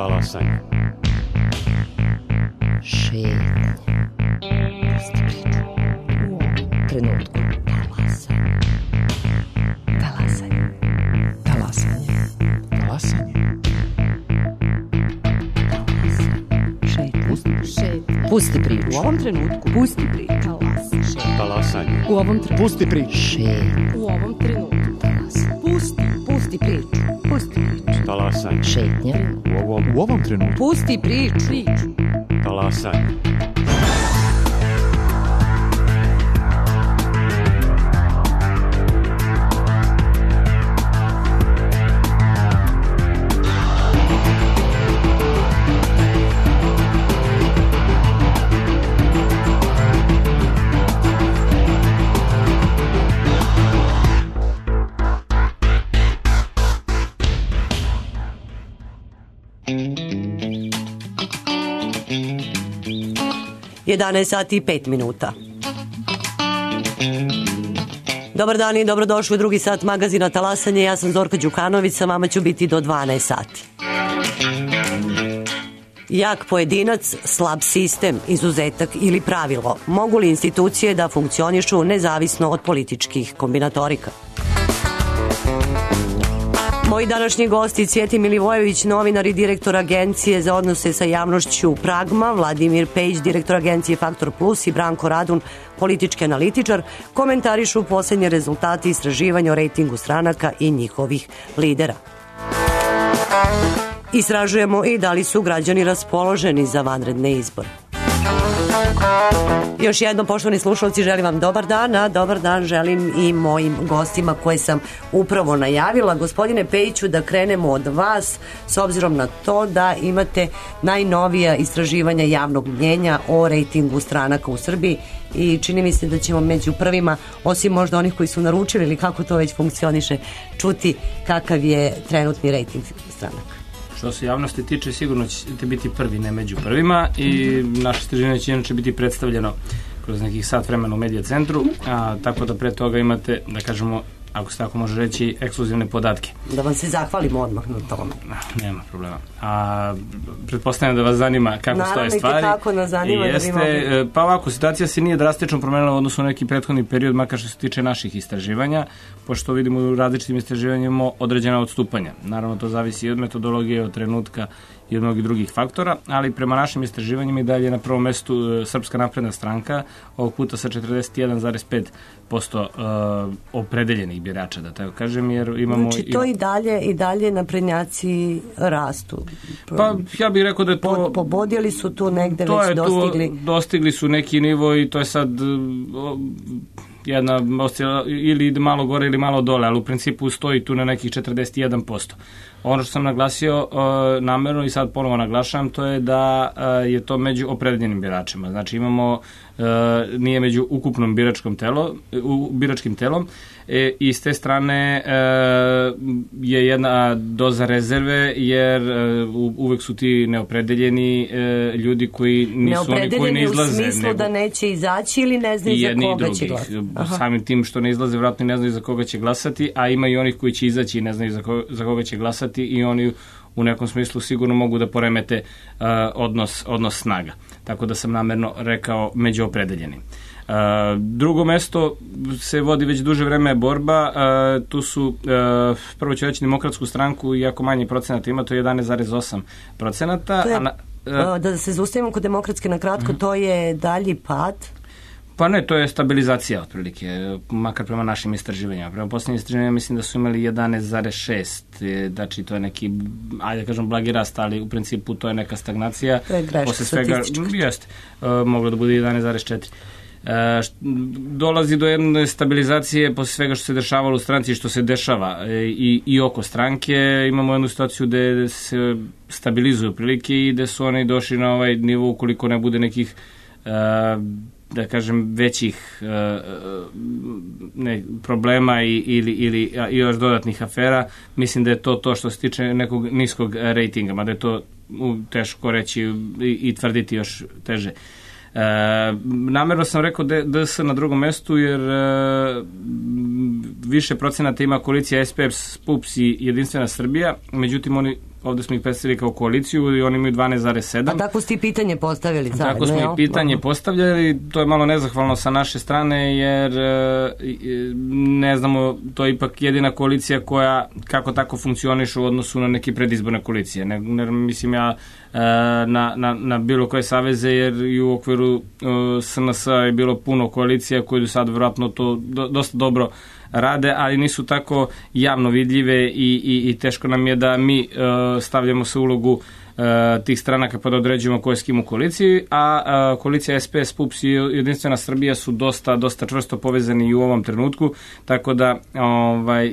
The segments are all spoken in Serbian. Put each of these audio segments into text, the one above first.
Talasanje. Šetnja. Pusti priču. U ovom trenutku. Talasanje. Talasanje. Talasanje. Šetnja. Pusti priču. U ovom trenutku. Pusti priču. Talasanje. U ovom trenutku. Pusti priču. Šetnja. U ovom trenutku. Pusti priču. Pusti priču. Talasanje. Šetnja. U ovom trenutku. Pusti priču. Talasanje. Sati i 5 minuta. Dobar dan i dobrodošli u drugi sat magazina Talasanje. Ja sam Zorka Đukanović, sa vama ću biti do 12 sati. Jak pojedinac, slab sistem, izuzetak ili pravilo. Mogu li institucije da funkcionišu nezavisno od političkih kombinatorika? Moji današnji gosti: Cvjetin Milivojević, novinar i direktor Agencije za odnose sa javnošću Pragma, Vladimir Pejić, direktor Agencije Faktor Plus i Branko Radun, politički analitičar, komentarišu posljednje rezultate istraživanja o rejtingu stranaka i njihovih lidera. Istražujemo i da li su građani raspoloženi za vanredne izbore. Još jednom, poštovani slušalci, želim vam dobar dan, a dobar dan želim i mojim gostima koje sam upravo najavila. Gospodine Pejiću, da krenemo od vas, s obzirom na to da imate najnovija istraživanja javnog mnjenja o rejtingu stranaka u Srbiji i čini mi se da ćemo među prvima, osim možda onih koji su naručili ili kako to već funkcioniše, čuti kakav je trenutni rejting stranaka. Što se javnosti tiče, sigurno ćete biti prvi, ne među prvima, i naše istraživanje će inače biti predstavljeno kroz nekih sat vremena u Medija centru, tako da pre toga imate, da kažemo, ako se tako može reći, ekskluzivne podatke. Da vam se zahvalimo odmah na tome. Nema problema. Pretpostavljam da vas zanima kako stoje stvari. Naravno, i kako nas zanima. Pa ovako, situacija se nije drastično promenila u odnosu na neki prethodni period, makar što se tiče naših istraživanja, pošto vidimo u različitim istraživanjima određena odstupanja. Naravno, to zavisi i od metodologije, od trenutka i od mnogih drugih faktora, ali prema našim istraživanjima i dalje na prvom mestu Srpska napredna stranka, ovog puta sa 41,5% opredeljenih birača, da tako kažem, jer imamo... Znači, to i dalje naprednjaci rastu. Pa, ja bih rekao da je to... Pobodili su tu negde, već dostigli... Dostigli su neki nivo i to je sad jedna ili malo gore ili malo dole, ali u principu stoji tu na nekih 41%. Ono što sam naglasio namerno i sad ponovo naglašavam, to je da je to među opredeljenim biračima. Znači imamo, nije među ukupnom biračkim telom, i s te strane je jedna doza rezerve, jer uvek su ti neopredeljeni ljudi koji nisu oni koji ne izlaze. Neopredeljeni u smislu da neće izaći ili ne znaju za koga će glasati. Samim tim što ne izlaze, vjerojatno ne znaju za koga će glasati, a ima i onih koji će izaći i ne znaju za koga će glasati, i oni u nekom smislu sigurno mogu da poremete odnos snaga. Tako da sam namerno rekao među opredeljenim. Drugo mesto se vodi već duže vreme borba. Tu su, prvo ću reći Demokratsku stranku, iako manje procenata ima, to je 11,8%. Da se zaustavimo kod Demokratske na kratko, to je dalji pad. Pa ne, to je stabilizacija otprilike, makar prema našim istraživanjima. Prema posljednjim istraživanjima mislim da su imali 11,6, znači to je neki, ajde da kažem, blagi rast, ali u principu to je neka stagnacija. To je greška statistička. Jeste, moglo da bude 11,4. Dolazi do jedne stabilizacije posle svega što se dešavalo u stranci i što se dešava i oko stranke. Imamo jednu situaciju gde se stabilizuju prilike i gde su oni došli na ovaj nivo, ukoliko ne bude nekih da kažem većih problema ili još dodatnih afera. Mislim da je to što se tiče nekog niskog rejtinga, mada je to teško reći i tvrditi još teže. Namerno sam rekao DS na drugom mestu, jer više procenata ima koalicija SPS, PUPS i Jedinstvena Srbija, međutim oni ovde smo ih predstavili kao koaliciju i oni imaju 12,7. A tako ste i pitanje postavili zajedno, tako smo i pitanje postavljali, to je malo nezahvalno sa naše strane, jer ne znamo, to je ipak jedina koalicija koja kako tako funkcioniše u odnosu na neke predizborne koalicije. Ne mislim ja na bilo koje saveze, jer i u okviru SNS je bilo puno koalicija koje do sad vjerojatno to dosta dobro rade, ali nisu tako javno vidljive i teško nam je da mi stavljamo se u ulogu tih stranaka pa da određujemo ko je s kim u koaliciji, a koalicija SPS, PUPS i Jedinstvena Srbija su dosta čvrsto povezani i u ovom trenutku, tako da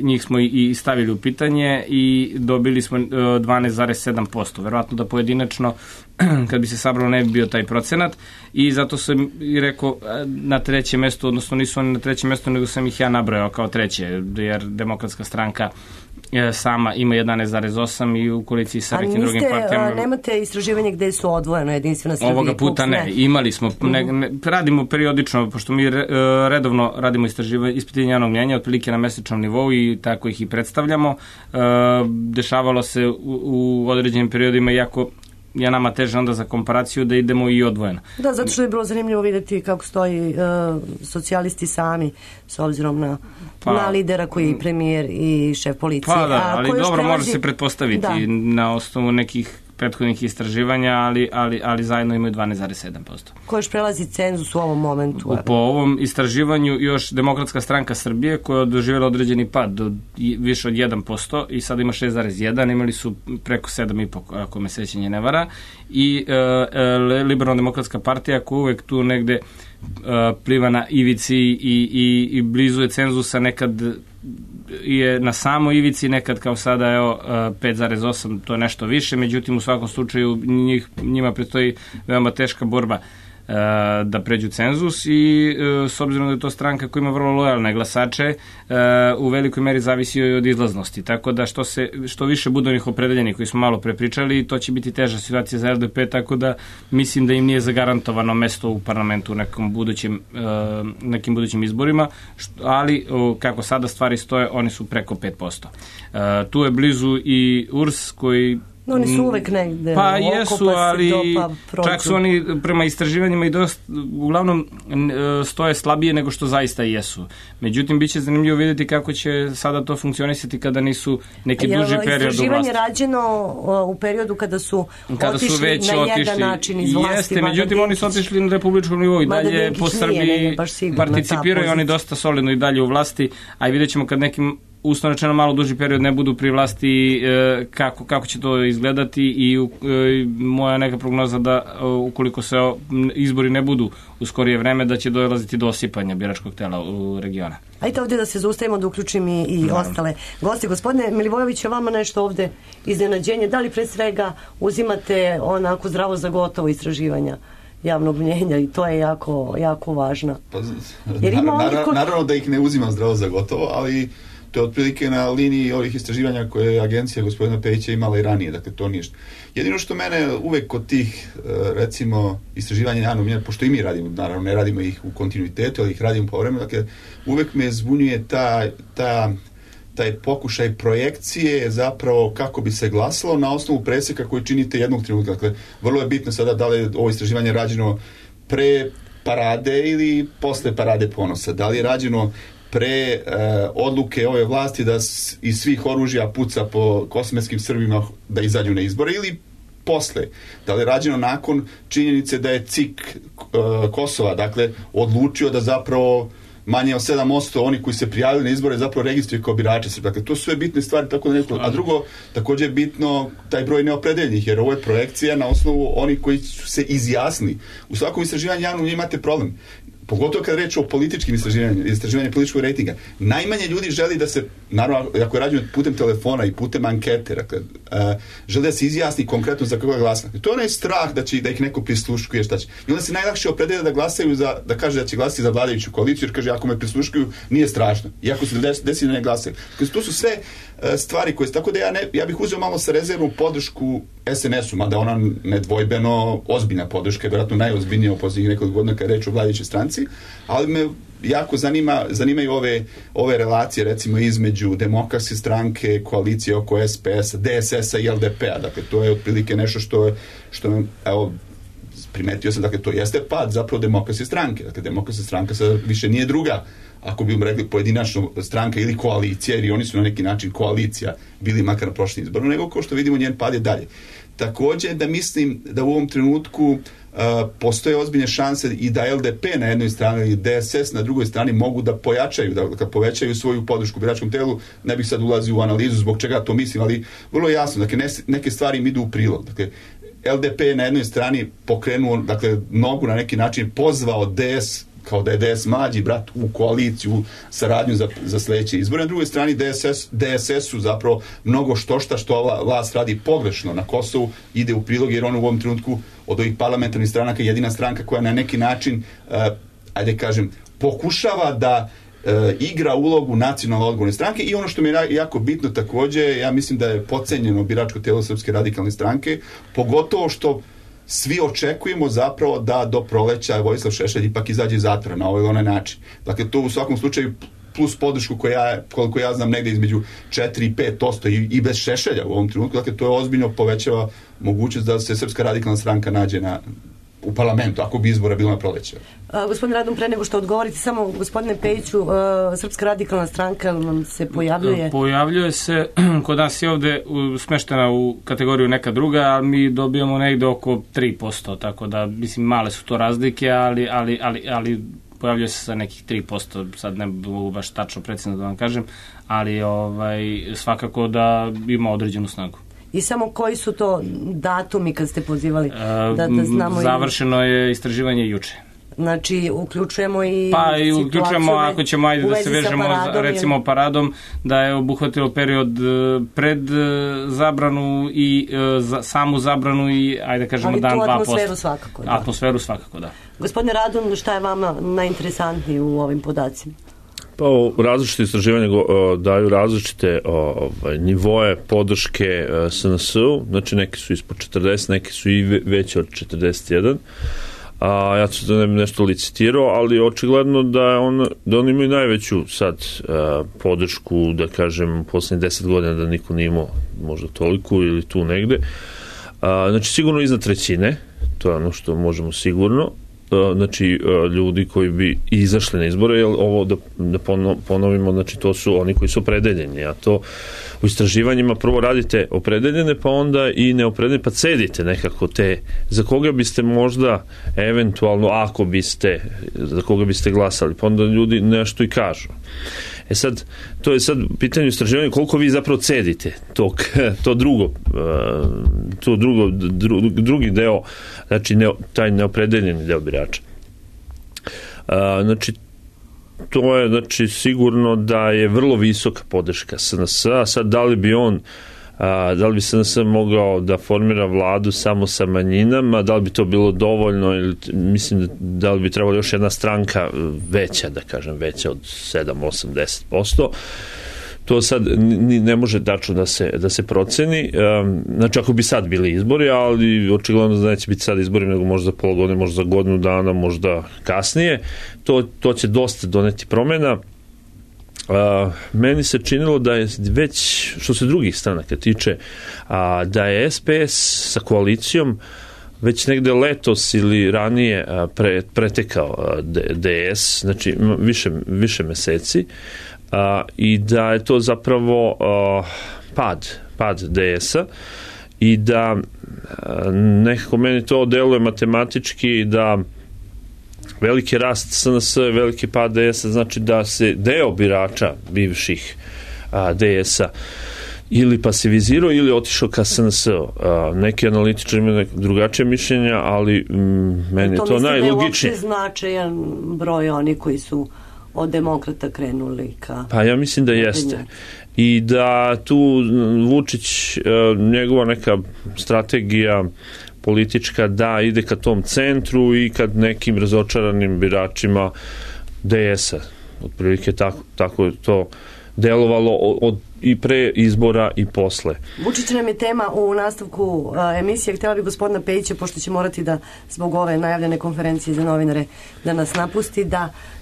njih smo i stavili u pitanje i dobili smo 12,7%. Verovatno da pojedinačno kad bi se sabralo ne bi bio taj procenat i zato sam i rekao na trećem mestu, odnosno nisu oni na trećem mestu, nego sam ih ja nabrojao kao treće, jer Demokratska stranka sama ima 11,8 i u koaliciji sa nekim drugim partijama. Nemate istraživanje gde su odvojeno Jedinstvena Srbija? Ovoga puta ne. Imali smo, radimo periodično, pošto mi redovno radimo ispitivanje javnog mnjenja, otprilike na mesečnom nivou i tako ih i predstavljamo. Dešavalo se u određenim periodima, iako je nama teže onda za komparaciju da idemo i odvojeno. Da, zato što je bilo zanimljivo vidjeti kako stoji socijalisti sami s obzirom na lidera koji je premijer i šef policije. Pa da, ali dobro, može se pretpostaviti na osnovu nekih prethodnih istraživanja, ali zajedno imaju 12,7%. Ko još prelazi cenzus u ovom momentu? Po ovom istraživanju još Demokratska stranka Srbije, koja je doživjela određeni pad do više od 1% i sada ima 6,1%, imali su preko 7,5%, ako me sećanje ne vara, i Liberalno-demokratska partija koja uvek tu negde pliva na ivici i blizu je cenzusa, nekad je na samo ivici, nekad kao sada 5,8, to je nešto više, međutim u svakom slučaju njima predstoji veoma teška borba da pređu cenzus i s obzirom da je to stranka koja ima vrlo lojalne glasače, u velikoj meri zavisi od izlaznosti, tako da što više bude onih opredeljenih koji smo malo prepričali, to će biti teža situacija za LDP, tako da mislim da im nije zagarantovano mesto u parlamentu u nekim budućim izborima, ali kako sada stvari stoje, oni su preko 5%. Tu je blizu i URS koji oni su uvek negde. Pa jesu, ali čak su oni prema istraživanjima i uglavnom stoje slabije nego što zaista jesu. Međutim, bit će zanimljivo vidjeti kako će sada to funkcionisati kada nisu neki duži period u vlasti. Istraživanje rađeno u periodu kada su otišli na jedan način iz vlasti. Jeste, međutim oni su otišli na republičkom nivou i dalje po Srbiji participiraju, oni dosta solidno i dalje u vlasti, a i vidjet ćemo kad nekim uslovno rečeno malo duži period ne budu pri vlasti, kako će to izgledati i moja neka prognoza da ukoliko se izbori ne budu u skorije vreme, da će dolaziti do osipanja biračkog tela u regiona. Ajde ovdje da se zaustavimo, da uključim i ostale gosti. Gospodine Milivojević, je vama nešto ovdje iznenađenje? Da li pre svega uzimate onako zdravo za gotovo istraživanja javnog mnjenja i to je jako važno? Pa, naravno da ih ne uzimam zdravo za gotovo, ali to je otprilike na liniji ovih istraživanja koje je agencija gospodina Pejića imala i ranije, dakle to ništa. Jedino što mene uvek kod tih, recimo, istraživanja javnog mnjenja, pošto i mi radimo, naravno ne radimo ih u kontinuitetu, ali ih radimo po vremenu, dakle uvek me zbunjuje taj pokušaj projekcije zapravo kako bi se glasalo na osnovu preseka koji činite jednog trenutka. Dakle, vrlo je bitno sada da li je ovo istraživanje rađeno pre parade ili posle parade ponosa. Da li je rađeno pre odluke ove vlasti da iz svih oružja puca po kosmetskim Srbima da izađu na izbore ili posle. Da li je rađeno nakon činjenice da je CIK Kosova, dakle, odlučio da zapravo manje od 7% oni koji se prijavili na izbore zapravo registruju kao birače Srbije. Dakle, to su sve bitne stvari, tako da neko. A drugo, također je bitno taj broj neopredeljenih, jer ovo je projekcija na osnovu onih koji su se izjasnili. U svakom istraživanju javnog imate problem. Pogotovo kad reč o političkim istraživanju političkog rejtinga. Najmanje ljudi želi da se, naravno, ako je rađeno putem telefona i putem ankete, dakle, želi da se izjasni konkretno za koga glasa. To je onaj strah da ih neko prisluškuje, šta će. I onda se najlakše opredeli da glasaju da kaže da će glasiti za vladajuću koaliciju, jer kaže ako me prisluškuju nije strašno. Iako se desi da ne glasaju. Dakle, to su sve stvari koje, tako da ja bih uzeo malo sa rezervom podršku SNS-u, mada ona nedvojbeno ozbiljna podrška, vjerojatno najozbiljnija u posljednjih nekoliko godina kad je reč o vladajućoj stranci, ali me jako zanimaju ove relacije, recimo između Demokratske stranke, koalicije oko SPS-a, DSS-a i LDP-a. Dakle, to je otprilike nešto što evo, primetio sam, dakle, to jeste pad zapravo Demokratske stranke. Dakle, Demokratska stranka sad više nije druga, ako bi rekli pojedinačno stranka ili koalicija, jer i oni su na neki način koalicija bili makar na prošlim izboru, nego kao što vidimo njen pad je dalje. Takođe da mislim da u ovom trenutku postoje ozbiljne šanse i da LDP na jednoj strani i DSS na drugoj strani mogu da pojačaju, da povećaju svoju podršku biračkom telu. Ne bih sad ulazio u analizu zbog čega to mislim, ali vrlo jasno, dakle, neke stvari im idu u prilog. Dakle, LDP je na jednoj strani pokrenuo, dakle, nogu na neki način pozvao DS, kao da je DS mlađi brat, u koaliciju, u saradnju za sledeće izbore. Na drugoj strani DSS-u zapravo mnogo što vlast radi pogrešno na Kosovu ide u prilog, jer on u ovom trenutku od ovih parlamentarnih stranaka jedina stranka koja na neki način, ajde kažem, pokušava da igra ulogu nacionalno odgovorne stranke. I ono što mi je jako bitno takođe, ja mislim da je podcenjeno biračko telo Srpske radikalne stranke, pogotovo što svi očekujemo zapravo da do proleća Vojislav Šešelj ipak izađe iz zatvora na ovaj ili onaj način. Dakle, to u svakom slučaju plus podršku koliko ja znam negde između 4 i 5% i bez Šešelja u ovom trenutku. Dakle, to je ozbiljno povećava mogućnost da se Srpska radikalna stranka nađe u parlamentu, ako bi izbora bilo na proleće. Gospodin Radon, pre nego što odgovorite, samo gospodine Pejiću, Srpska radikalna stranka vam se pojavljuje? Pojavljuje se, kod nas je ovde smeštena u kategoriju neka druga, ali mi dobijamo negde oko 3%, tako da, mislim, male su to razlike, ali pojavljuje se sa nekih 3%, sad ne mogu baš tačno precizno da vam kažem, ali svakako da ima određenu snagu. I samo koji su to datumi kad ste pozivali? Da znamo. Završeno je istraživanje juče. Znači, uključujemo i uključujemo, ako ćemo da se vežemo recimo paradom, da je obuhvatilo period pred zabranu i samu zabranu i, ajde kažemo, dan 2%. Ali tu atmosferu svakako. Da. Atmosferu svakako, da. Gospodine Radon, šta je vama najinteresantnije u ovim podacima? Pa različite istraživanja daju različite nivoe podrške SNS-u, znači neki su ispod 40, neki su i veći od 41. Ja ću da nešto licitirao, ali očigledno da oni imaju najveću sad podršku, da kažem, u poslednjih 10 godina da niko nije imao možda toliko ili tu negde. Znači sigurno iznad trećine, to je ono što možemo sigurno. Znači ljudi koji bi izašli na izbore, jer ovo da ponovimo, znači to su oni koji su opredeljeni, a to u istraživanjima prvo radite opredeljene, pa onda i neopredeljene, pa cedite nekako te, za koga biste možda eventualno, ako biste, za koga biste glasali, pa onda ljudi nešto i kažu. Sad, to je sad pitanje istraživanja koliko vi zapravo cedite drugi deo, znači taj neopredeljeni deo birača. Znači, to je znači sigurno da je vrlo visoka podrška SNS-a. Sad, da li bi SNS mogao da formira vladu samo sa manjinama, da li bi to bilo dovoljno, ili mislim da li bi trebalo još jedna stranka veća, da kažem, veća od 7, 8, 10%. To sad ne može tačno da se proceni. Znači, ako bi sad bili izbori, ali očigledno da neće biti sad izbori, nego možda pola godine, možda za godinu dana, možda kasnije. To će dosta doneti promjena. Meni se činilo da je već, što se drugih stranaka tiče, da je SPS sa koalicijom već negde letos ili ranije pretekao DS, znači više meseci, i da je to zapravo pad DS-a i da nekako meni to deluje matematički da veliki rast SNS, veliki pad DS-a, znači da se deo birača bivših DS-a ili pasivizirao ili otišao ka SNS-u. Neki analitičari imaju drugačije mišljenja, ali meni je to najlogičnije. To mislim da je uopšte značajan broj oni koji su od demokrata krenuli ka... Pa ja mislim da jeste. I da tu Vučić, njegova neka strategija politička, da ide ka tom centru i kad nekim razočaranim biračima DS-a. Otprilike tako je to delovalo od i pre izbora i posle. Vučić nam je tema u nastavku emisije. Htjela bi gospodina Pejića, pošto će morati da zbog ove najavljene konferencije za novinare da nas napusti,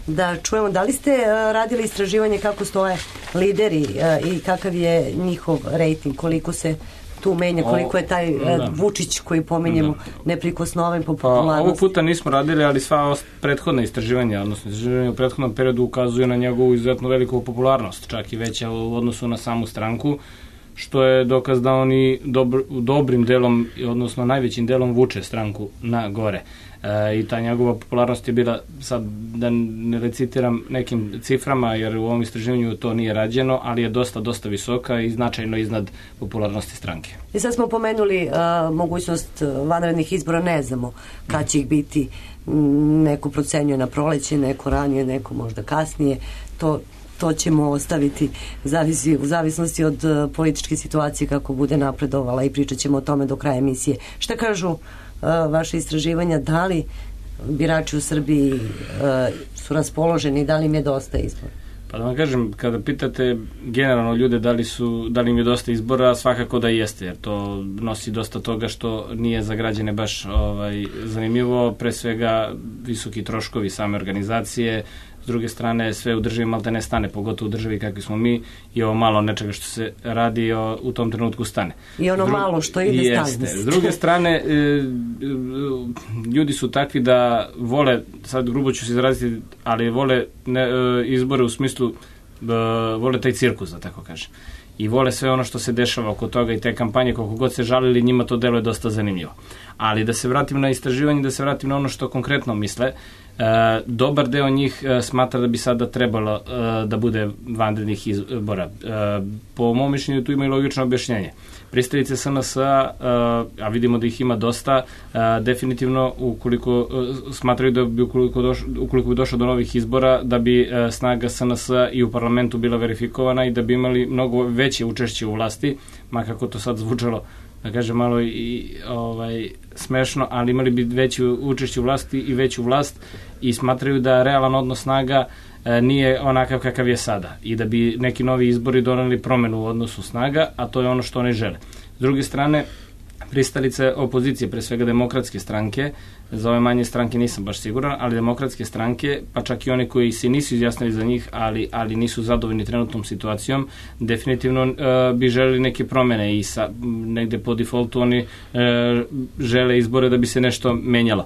da čujemo da li ste radili istraživanje kako stoje lideri i kakav je njihov rejting, koliko se tu menja, koliko je taj Vučić koji pominjemo neprikosnoven po popularnosti. Ovog puta nismo radili, ali sva prethodna istraživanja, odnosno istraživanja u prethodnom periodu ukazuju na njegovu izuzetno veliku popularnost, čak i veća u odnosu na samu stranku, što je dokaz da oni dobrim delom, odnosno najvećim delom vuče stranku na gore. I ta njegova popularnost je bila, sad da ne recitiram nekim ciframa, jer u ovom istraživanju to nije rađeno, ali je dosta visoka i značajno iznad popularnosti stranke. I sad smo pomenuli mogućnost vanrednih izbora, ne znamo kad će ih biti, neko procenjuje na proleće, neko ranije, neko možda kasnije, to ćemo ostaviti u zavisnosti od političke situacije kako bude napredovala i pričat ćemo o tome do kraja emisije. Šta kažu vaše istraživanja, da li birači u Srbiji su raspoloženi, da li im je dosta izbora? Pa da vam kažem, kada pitate generalno ljude da li im je dosta izbora, svakako da jeste, jer to nosi dosta toga što nije za građane baš zanimljivo, pre svega visoki troškovi same organizacije, s druge strane sve u državi malte ne stane, pogotovo u državi kakvi smo mi, i ovo malo nečega što se radi u tom trenutku stane. I ono malo što ide stane. S druge strane, ljudi su takvi da vole, sad grubo ću se izraziti, ali vole izbore u smislu, vole taj cirkus, da tako kažem. I vole sve ono što se dešava oko toga i te kampanje, koliko god se žalili, njima to deluje dosta zanimljivo. Ali da se vratim na istraživanje, da se vratim na ono što konkretno misle, dobar deo njih smatra da bi sada trebalo da bude vanrednih izbora. Po mom mišljenju tu ima i logično objašnjenje. Pristalice SNS-a, a vidimo da ih ima dosta, definitivno ukoliko smatraju da bi ukoliko bi došlo do novih izbora, da bi snaga SNS-a i u parlamentu bila verifikovana i da bi imali mnogo veće učešće u vlasti, makako to sad zvučalo, da kažem malo i smešno, ali imali bi veće učešće u vlasti i veću vlast i smatraju da realan odnos snaga nije onakav kakav je sada i da bi neki novi izbori doneli promenu u odnosu snaga, a to je ono što oni žele. S druge strane, pristalice opozicije, pre svega demokratske stranke, za ove manje stranke nisam baš siguran, ali demokratske stranke, pa čak i oni koji se nisu izjasnili za njih, ali nisu zadovoljni trenutnom situacijom, definitivno bi želeli neke promene i negde po defaultu oni žele izbore da bi se nešto menjalo.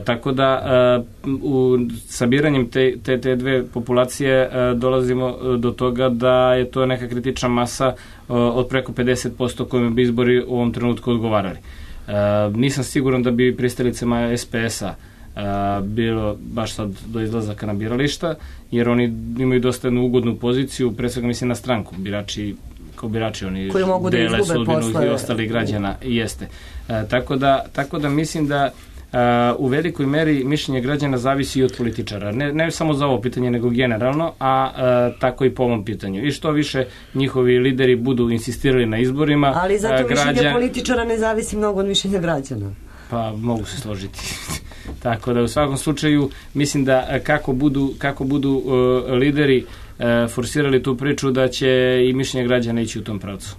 Tako da u sabiranjem te dve populacije dolazimo do toga da je to neka kritična masa od preko 50% kojima bi izbori u ovom trenutku odgovarali. Nisam siguran da bi pristalicama SPS-a bilo baš sad do izlazaka na birališta, jer oni imaju dosta jednu ugodnu poziciju, pre svega mislim na stranku, birači oni dele sudbinu i ostali građana jeste. Tako da mislim da u velikoj meri mišljenje građana zavisi i od političara. Ne samo za ovo pitanje, nego generalno, a tako i po ovom pitanju. I što više njihovi lideri budu insistirali na izborima... Ali zato mišljenje političara ne zavisi mnogo od mišljenja građana. Pa mogu se složiti. Tako da u svakom slučaju mislim da kako budu lideri forsirali tu priču, da će i mišljenje građana ići u tom pravcu.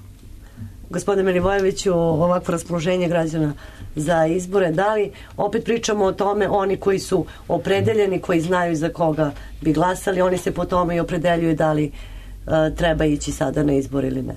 Gospodine Milivojeviću, ovakvo raspoloženje građana za izbore, da li opet pričamo o tome, oni koji su opredeljeni, koji znaju za koga bi glasali, oni se po tome i opredeljuju da li treba ići sada na izbor ili ne?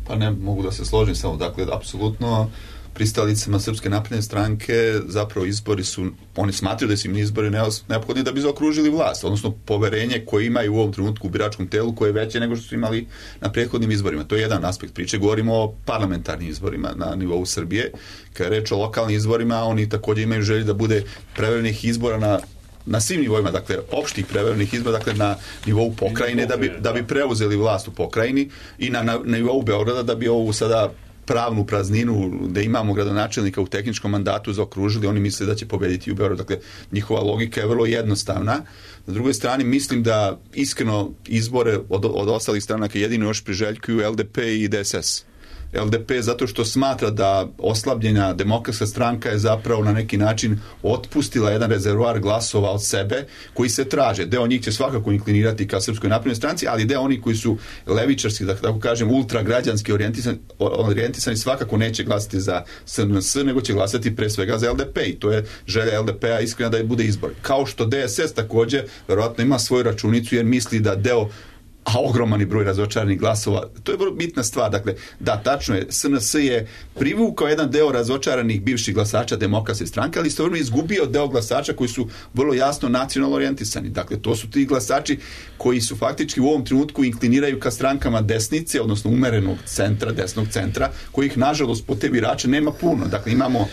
Pa ne mogu da se složim samo, dakle, apsolutno pristalicama Srpske napredne stranke zapravo izbori su, oni smatraju da su im izbori neophodni da bi zaokružili vlast, odnosno poverenje koje imaju u ovom trenutku u biračkom telu koje je veće nego što su imali na prethodnim izborima. To je jedan aspekt priče. Govorimo o parlamentarnim izborima na nivou Srbije. Kada je reč o lokalnim izborima, oni također imaju želju da bude preverenih izbora na svim nivoima, dakle opštih preverenih izbora, dakle na nivou pokrajine da bi preuzeli vlast u pokrajini i na nivou Beograda da bi ovu sada pravnu prazninu da imamo gradonačelnika u tehničkom mandatu zaokružili, oni misle da će pobediti u Beogradu. Dakle, njihova logika je vrlo jednostavna. Na drugoj strani mislim da iskreno izbore od ostalih stranaka jedino još priželjkuju LDP i DSS. LDP zato što smatra da oslabljena Demokratska stranka je zapravo na neki način otpustila jedan rezervoar glasova od sebe koji se traže. Deo njih će svakako inklinirati ka Srpskoj naprednoj stranci, ali deo oni koji su levičarski, da tako kažem, ultragrađanski orijentisani svakako neće glasati za SNS, nego će glasati pre svega za LDP i to je želja LDP-a iskrena da je bude izbor. Kao što DSS također verovatno ima svoju računicu jer misli da deo ogromani broj razočaranih glasova. To je vrlo bitna stvar. Dakle, da, tačno je, SNS je privukao jedan deo razočaranih bivših glasača Demokratske stranke, ali istovremeno izgubio deo glasača koji su vrlo jasno nacionalno orijentisani. Dakle, to su ti glasači koji su faktički u ovom trenutku inkliniraju ka strankama desnice, odnosno umerenog centra, desnog centra, kojih, nažalost, po te birače nema puno. Dakle, imamo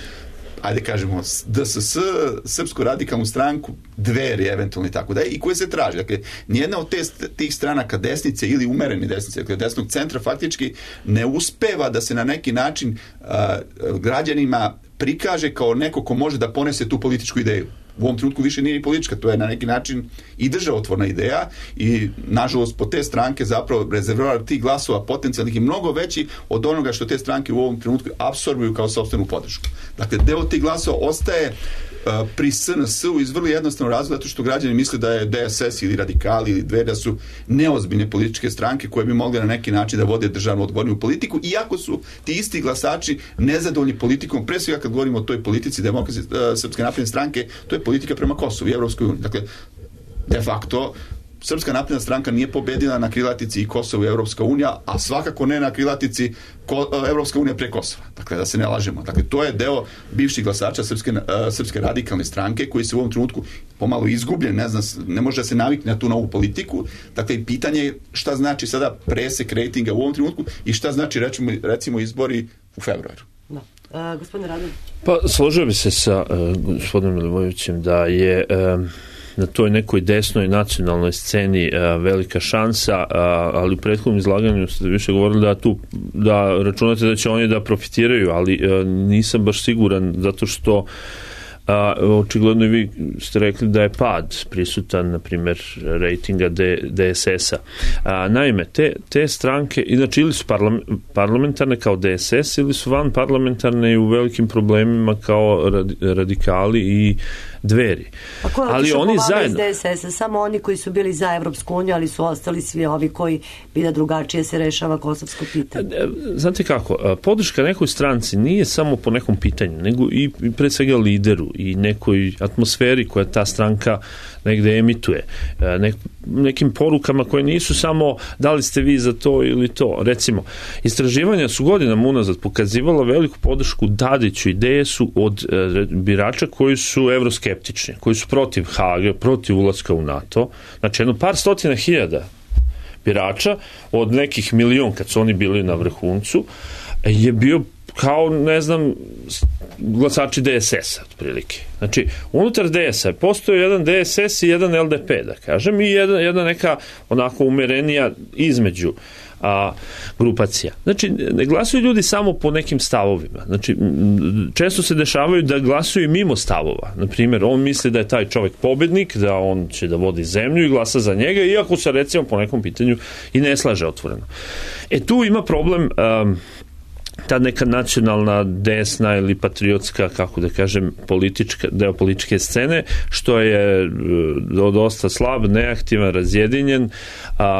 ajde kažemo DSS, Srpsku radikalnu stranku, Dveri eventualno i tako da i koje se traži. Dakle, nijedna od tih stranaka desnice ili umerene desnice, dakle desnog centra faktički ne uspeva da se na neki način građanima prikaže kao neko ko može da ponese tu političku ideju. U ovom trenutku više nije ni politička, to je na neki način i državotvorna ideja i nažalost po te stranke zapravo rezervoar tih glasova potencijalnih je mnogo veći od onoga što te stranke u ovom trenutku apsorbuju kao sopstvenu podršku. Dakle, deo tih glasova ostaje pri SNS-u iz vrlo jednostavnog razloga zato što građani misle da je DSS ili radikali ili Dveri da su neozbiljne političke stranke koje bi mogle na neki način da vode državno odgovornu politiku, iako su ti isti glasači nezadovoljni politikom, pre svega kad govorimo o toj politici Srpske napredne stranke, to je politika prema Kosovu i Evropskoj uniji. Dakle, de facto Srpska napredna stranka nije pobedila na krilatici i Kosovo i Evropska unija, a svakako ne na krilatici Evropska unija pre Kosova. Dakle, da se ne lažemo. Dakle, to je deo bivših glasača Srpske radikalne stranke koji se u ovom trenutku pomalo izgubljen, ne može da se navikne na tu novu politiku. Dakle, pitanje je šta znači sada presek rejtinga u ovom trenutku i šta znači recimo izbori u februaru. Da. Gospodine Radović? Pa, složio bi se sa gospodinom Milivojevićem da je na toj nekoj desnoj nacionalnoj sceni velika šansa, ali u prethodnom izlaganju ste više govorili da računate da će oni da profitiraju, ali nisam baš siguran zato što očigledno i vi ste rekli da je pad prisutan, na primjer, rejtinga DSS-a. Naime, te stranke, inače ili su parlamentarne kao DSS ili su van parlamentarne i u velikim problemima kao radikali i Dveri. A ko je otišao zajedno iz DSS-a? Samo oni koji su bili za Evropsku uniju, ali su ostali svi ovi koji bi da drugačije se rešava kosovsko pitanje. Znate kako, podrška nekoj stranci nije samo po nekom pitanju, nego i pre svega lideru i nekoj atmosferi koja ta stranka negde emituje. Nekim porukama koje nisu samo da li ste vi za to ili to. Recimo, istraživanja su godinama unazad pokazivala veliku podršku Tadiću i DS-u od birača koji su evroskeptični, koji su protiv Hage, protiv ulaska u NATO. Znači, jedno par stotina hiljada birača od nekih milion kad su oni bili na vrhuncu je bio kao, ne znam, glasači DSS-a, otprilike. Znači, unutar DS-a postoji jedan DSS i jedan LDP, da kažem, i jedna neka onako umerenija između grupacija. Znači, ne glasuju ljudi samo po nekim stavovima. Znači, često se dešavaju da glasuju mimo stavova. Naprimjer, on misli da je taj čovjek pobednik, da on će da vodi zemlju i glasa za njega, iako se recimo po nekom pitanju i ne slaže otvoreno. Tu ima problem ta neka nacionalna, desna ili patriotska, kako da kažem, deo političke scene, što je dosta slab, neaktivan, razjedinjen.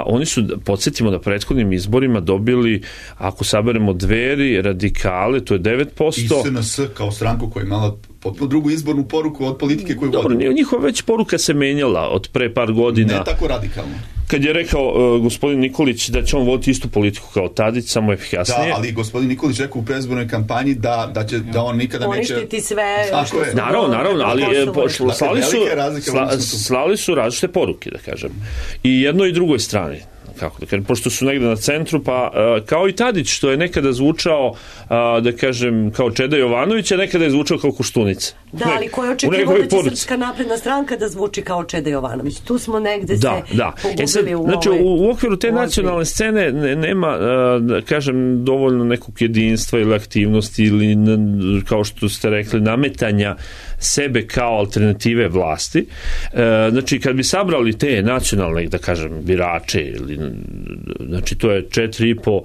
Oni su, podsjetimo da prethodnim izborima dobili, ako saberemo Dveri, radikale, to je 9%. I SNS kao stranku koja je imala potpuno drugu izbornu poruku od politike koju vodi. Dobro, njihova već poruka se menjala od pre par godina. Ne tako radikalno. Kad je rekao gospodin Nikolić da će on voditi istu politiku kao Tadić, samo efikasnije. Da, ali gospodin Nikolić rekao u predizbornoj kampanji da on nikada neće poništiti sve. Naravno, ali slali su različite poruke, da kažem. I jednoj i drugoj strani. Kako da kažem, pošto su negde na centru, pa kao i Tadić, što je nekada zvučao, da kažem, kao Čeda Jovanović, a nekada je zvučao kao Koštunica. Da, ali ko je očekivao da će Srpska napredna stranka da zvuči kao Čeda Jovanović? Tu smo negde se pogubili u ovoj... Znači, u okviru te nacionalne scene nema, da kažem, dovoljno nekog jedinstva ili aktivnosti ili, kao što ste rekli, nametanja sebe kao alternative vlasti. Znači, kad bi sabrali te nacionalne, da kažem, birače ili znači to je 4,5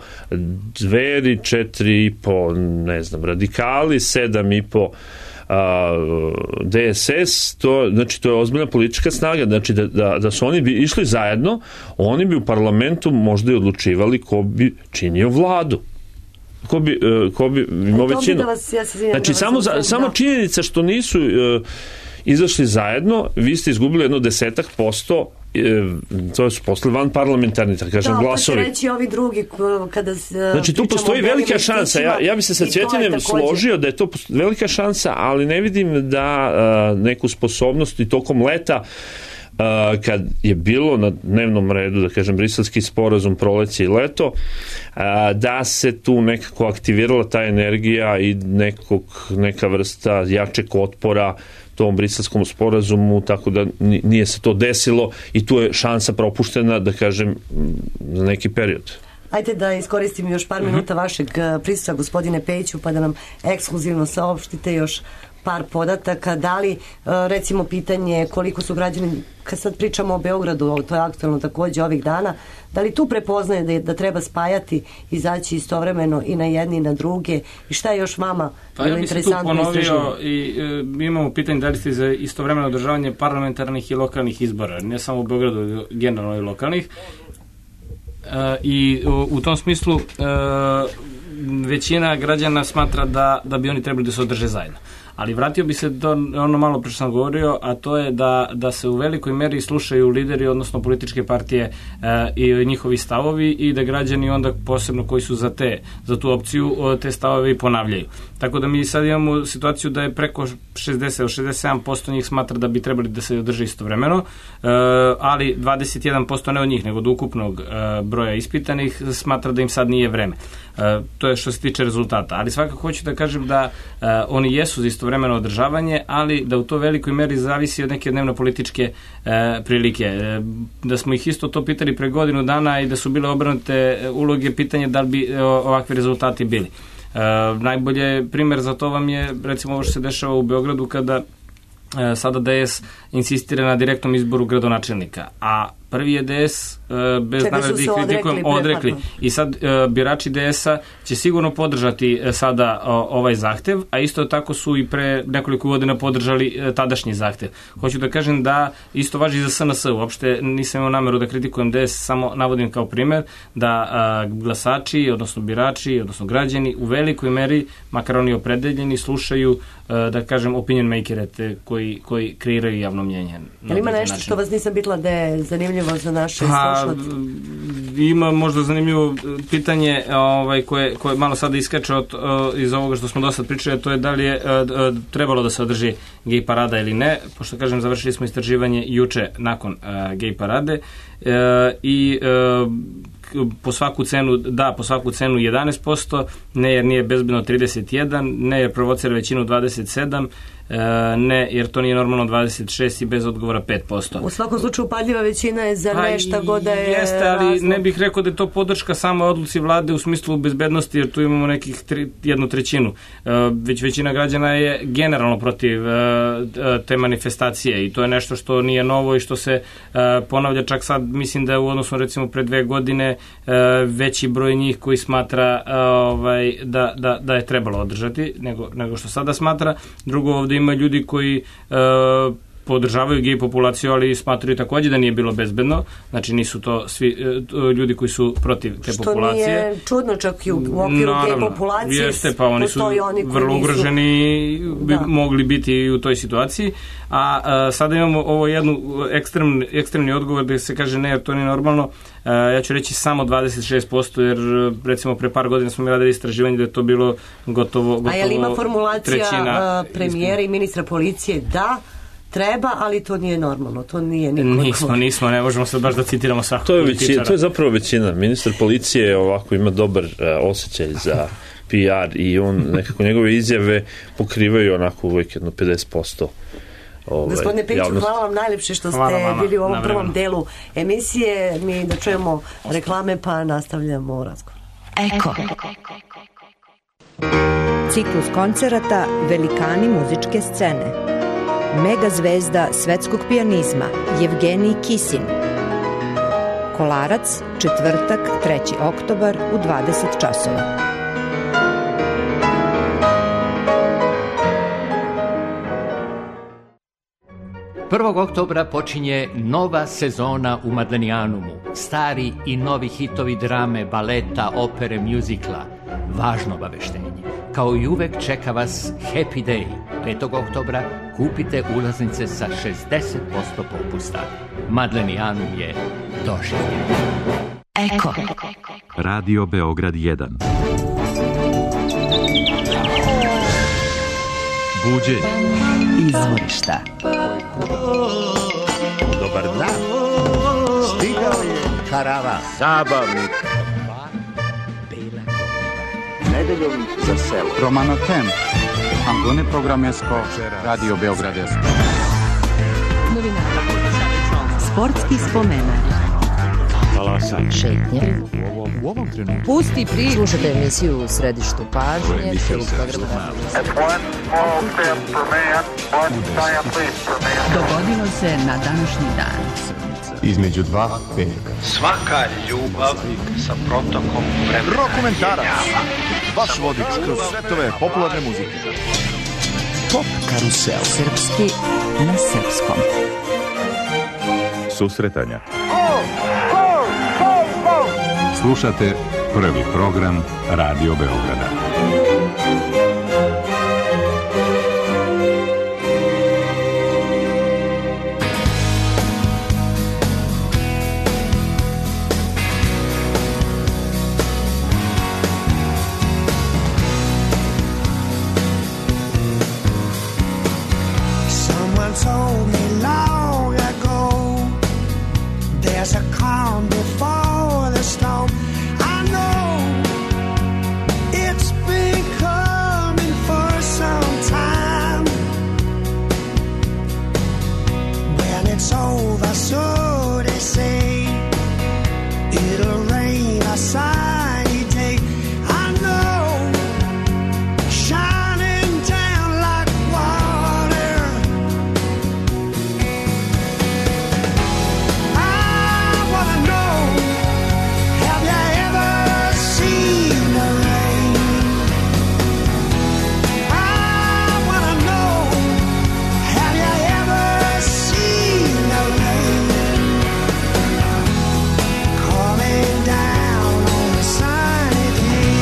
Dveri, 4,5 ne znam, radikali, 7,5 DSS, znači to je ozbiljna politička snaga, znači da su oni bi išli zajedno, oni bi u parlamentu možda i odlučivali ko bi činio vladu. Ko bi imao većinu. Znači samo činjenica što nisu izašli zajedno, vi ste izgubili jedno 10%, to su posle van parlamentarni, tako kažem, glasovi. Da, pa će reći ovi drugi kada znači tu postoji velika šansa, ja bi se sa Cvjetinem složio da je to velika šansa, ali ne vidim da neku sposobnost i tokom leta kad je bilo na dnevnom redu, da kažem, briselski sporazum, proleće i leto, da se tu nekako aktivirala ta energija i neka vrsta jačeg otpora tom briselskom sporazumu, tako da nije se to desilo i tu je šansa propuštena, da kažem, za neki period. Ajde da iskoristim još par minuta vašeg prisustva, gospodine Pejiću, pa da nam ekskluzivno saopštite još par podataka. Da li, recimo, pitanje koliko su građani, kad sad pričamo o Beogradu, to je aktualno takođe ovih dana, da li tu prepoznaje da treba spajati, izaći istovremeno i na jedni i na druge, i šta je još vama bilo interesantno istraživanje? Ja bih se tu ponovio i imamo pitanje da li ste za istovremeno održavanje parlamentarnih i lokalnih izbora, ne samo u Beogradu, generalno i lokalnih. I u tom smislu većina građana smatra da bi oni trebali da se održe zajedno. Ali vratio bi se do ono malo pre što sam govorio, a to je da se u velikoj meri slušaju lideri, odnosno političke partije i njihovi stavovi, i da građani onda posebno koji su za tu opciju te stavove ponavljaju. Tako da mi sad imamo situaciju da je preko 67% njih smatra da bi trebali da se održe istovremeno, ali 21% ne od njih, nego od ukupnog broja ispitanih smatra da im sad nije vreme. To je što se tiče rezultata. Ali svakako hoću da kažem da oni jesu za istovremeno održavanje, ali da u to velikoj meri zavisi od neke dnevno-političke prilike. Da smo ih isto to pitali pre godinu dana i da su bile obrnute uloge, pitanje da li bi ovakvi rezultati bili. Najbolje primer za to vam je recimo ovo što se dešava u Beogradu kada sada DS insistira na direktnom izboru gradonačelnika, a prvi je DS bez namere da ih kritikujem odrekli. I sad birači DS-a će sigurno podržati sada ovaj zahtev, a isto tako su i pre nekoliko godina podržali tadašnji zahtev. Hoću da kažem da isto važi i za SNS. Uopšte nisam imao nameru da kritikujem DS, samo navodim kao primer da glasači, odnosno birači, odnosno građani u velikoj meri, makar oni opredeljeni, slušaju, da kažem, opinion makere koji kreiraju javno mnjenje. Ima nešto što vas nisam pitala da je zanimljivo za naše slušalce? Ima možda zanimljivo pitanje koje malo sada iskače iz ovoga što smo do sad pričali, to je da li je trebalo da se održi gej parada ili ne, pošto kažem završili smo istraživanje juče nakon gej parade i po svaku cenu 11%, ne jer nije bezbedno 31%, ne jer provocira većinu 27%, ne jer to nije normalno 26% i bez odgovora 5%. U svakom slučaju upadljiva većina je za nešto god da je jeste, ali razlog. Ne bih rekao da je to podrška samo odluci vlade u smislu bezbednosti, jer tu imamo nekih 1/3. Već većina građana je generalno protiv te manifestacije i to je nešto što nije novo i što se ponavlja čak sad, mislim da je u odnosu recimo pre 2 godine veći broj njih koji smatra da je trebalo održati nego što sada smatra. Drugo, ovde ima ljudi koji podržavaju gej populaciju, ali smatraju takođe da nije bilo bezbedno. Znači nisu to svi ljudi koji su protiv te populacije. Što nije čudno, čak i u okviru gej populacije. Jeste, pa oni su vrlo ugroženi, bi mogli biti u toj situaciji. A sada imamo ovo jednu ekstremni odgovor da se kaže ne, jer to nije normalno. Ja ću reći samo 26%, jer recimo pre par godina smo mi radili istraživanje da je to bilo gotovo trećina. A je li ima formulacija premijera i ministra policije da treba, ali to nije normalno, to nije nikoliko. Nismo, ne možemo sad baš da citiramo svakog političara. To je zapravo većina. Ministar policije ovako ima dobar osjećaj za PR i on nekako njegove izjave pokrivaju onako uvijek jedno 50%. Gospodine Pejiću, hvala vam najlepše što ste bili u ovom prvom delu emisije. Mi da čujemo reklame pa nastavljamo razgovor. Eko. Ciklus koncerata Velikani muzičke scene. Mega zvezda svetskog pijanizma Jevgenij Kisin. Kolarac, četvrtak, 3. oktobar u 20 časova. Prvog oktobra počinje nova sezona u Madlenijanumu. Stari i novi hitovi drame, baleta, opere, mjuzikla. Važno obaveštenje. Kao i uvek čeka vas Happy Day. 5. oktobra kupite ulaznice sa 60% popusta. Madlenijanum je doživljen. Eko. Radio Beograd 1. Buđenje. Izvorišta. Dobar dan. Stigao je karavan. Zabavnik. Nedeljom za selo. Romano Tem. Angone Programesko. Radio Beograd 1. Sportski spomenak. Talasanje. Šetnje. U ovom trenutku. Pusti priču. Slušajte emisiju u središtu pažnje. Dogodilo se na današnji dan. Između dva petka. Svaka ljubav sa protokom vremena. Rokomentarac. Vaš vodič kroz svetove popularne muzike. Pop karusel. Srpski na srpskom. Susretanja. Slušate prvi program Radio Beograda. Someone told me long ago there's a calm before the storm. I know it's been coming for some time. When it's over, so they say, it'll rain a sunny day. I know, shining down like water. I wanna know, have you ever seen the rain? I wanna know, have you ever seen the rain? Coming down on a sunny day.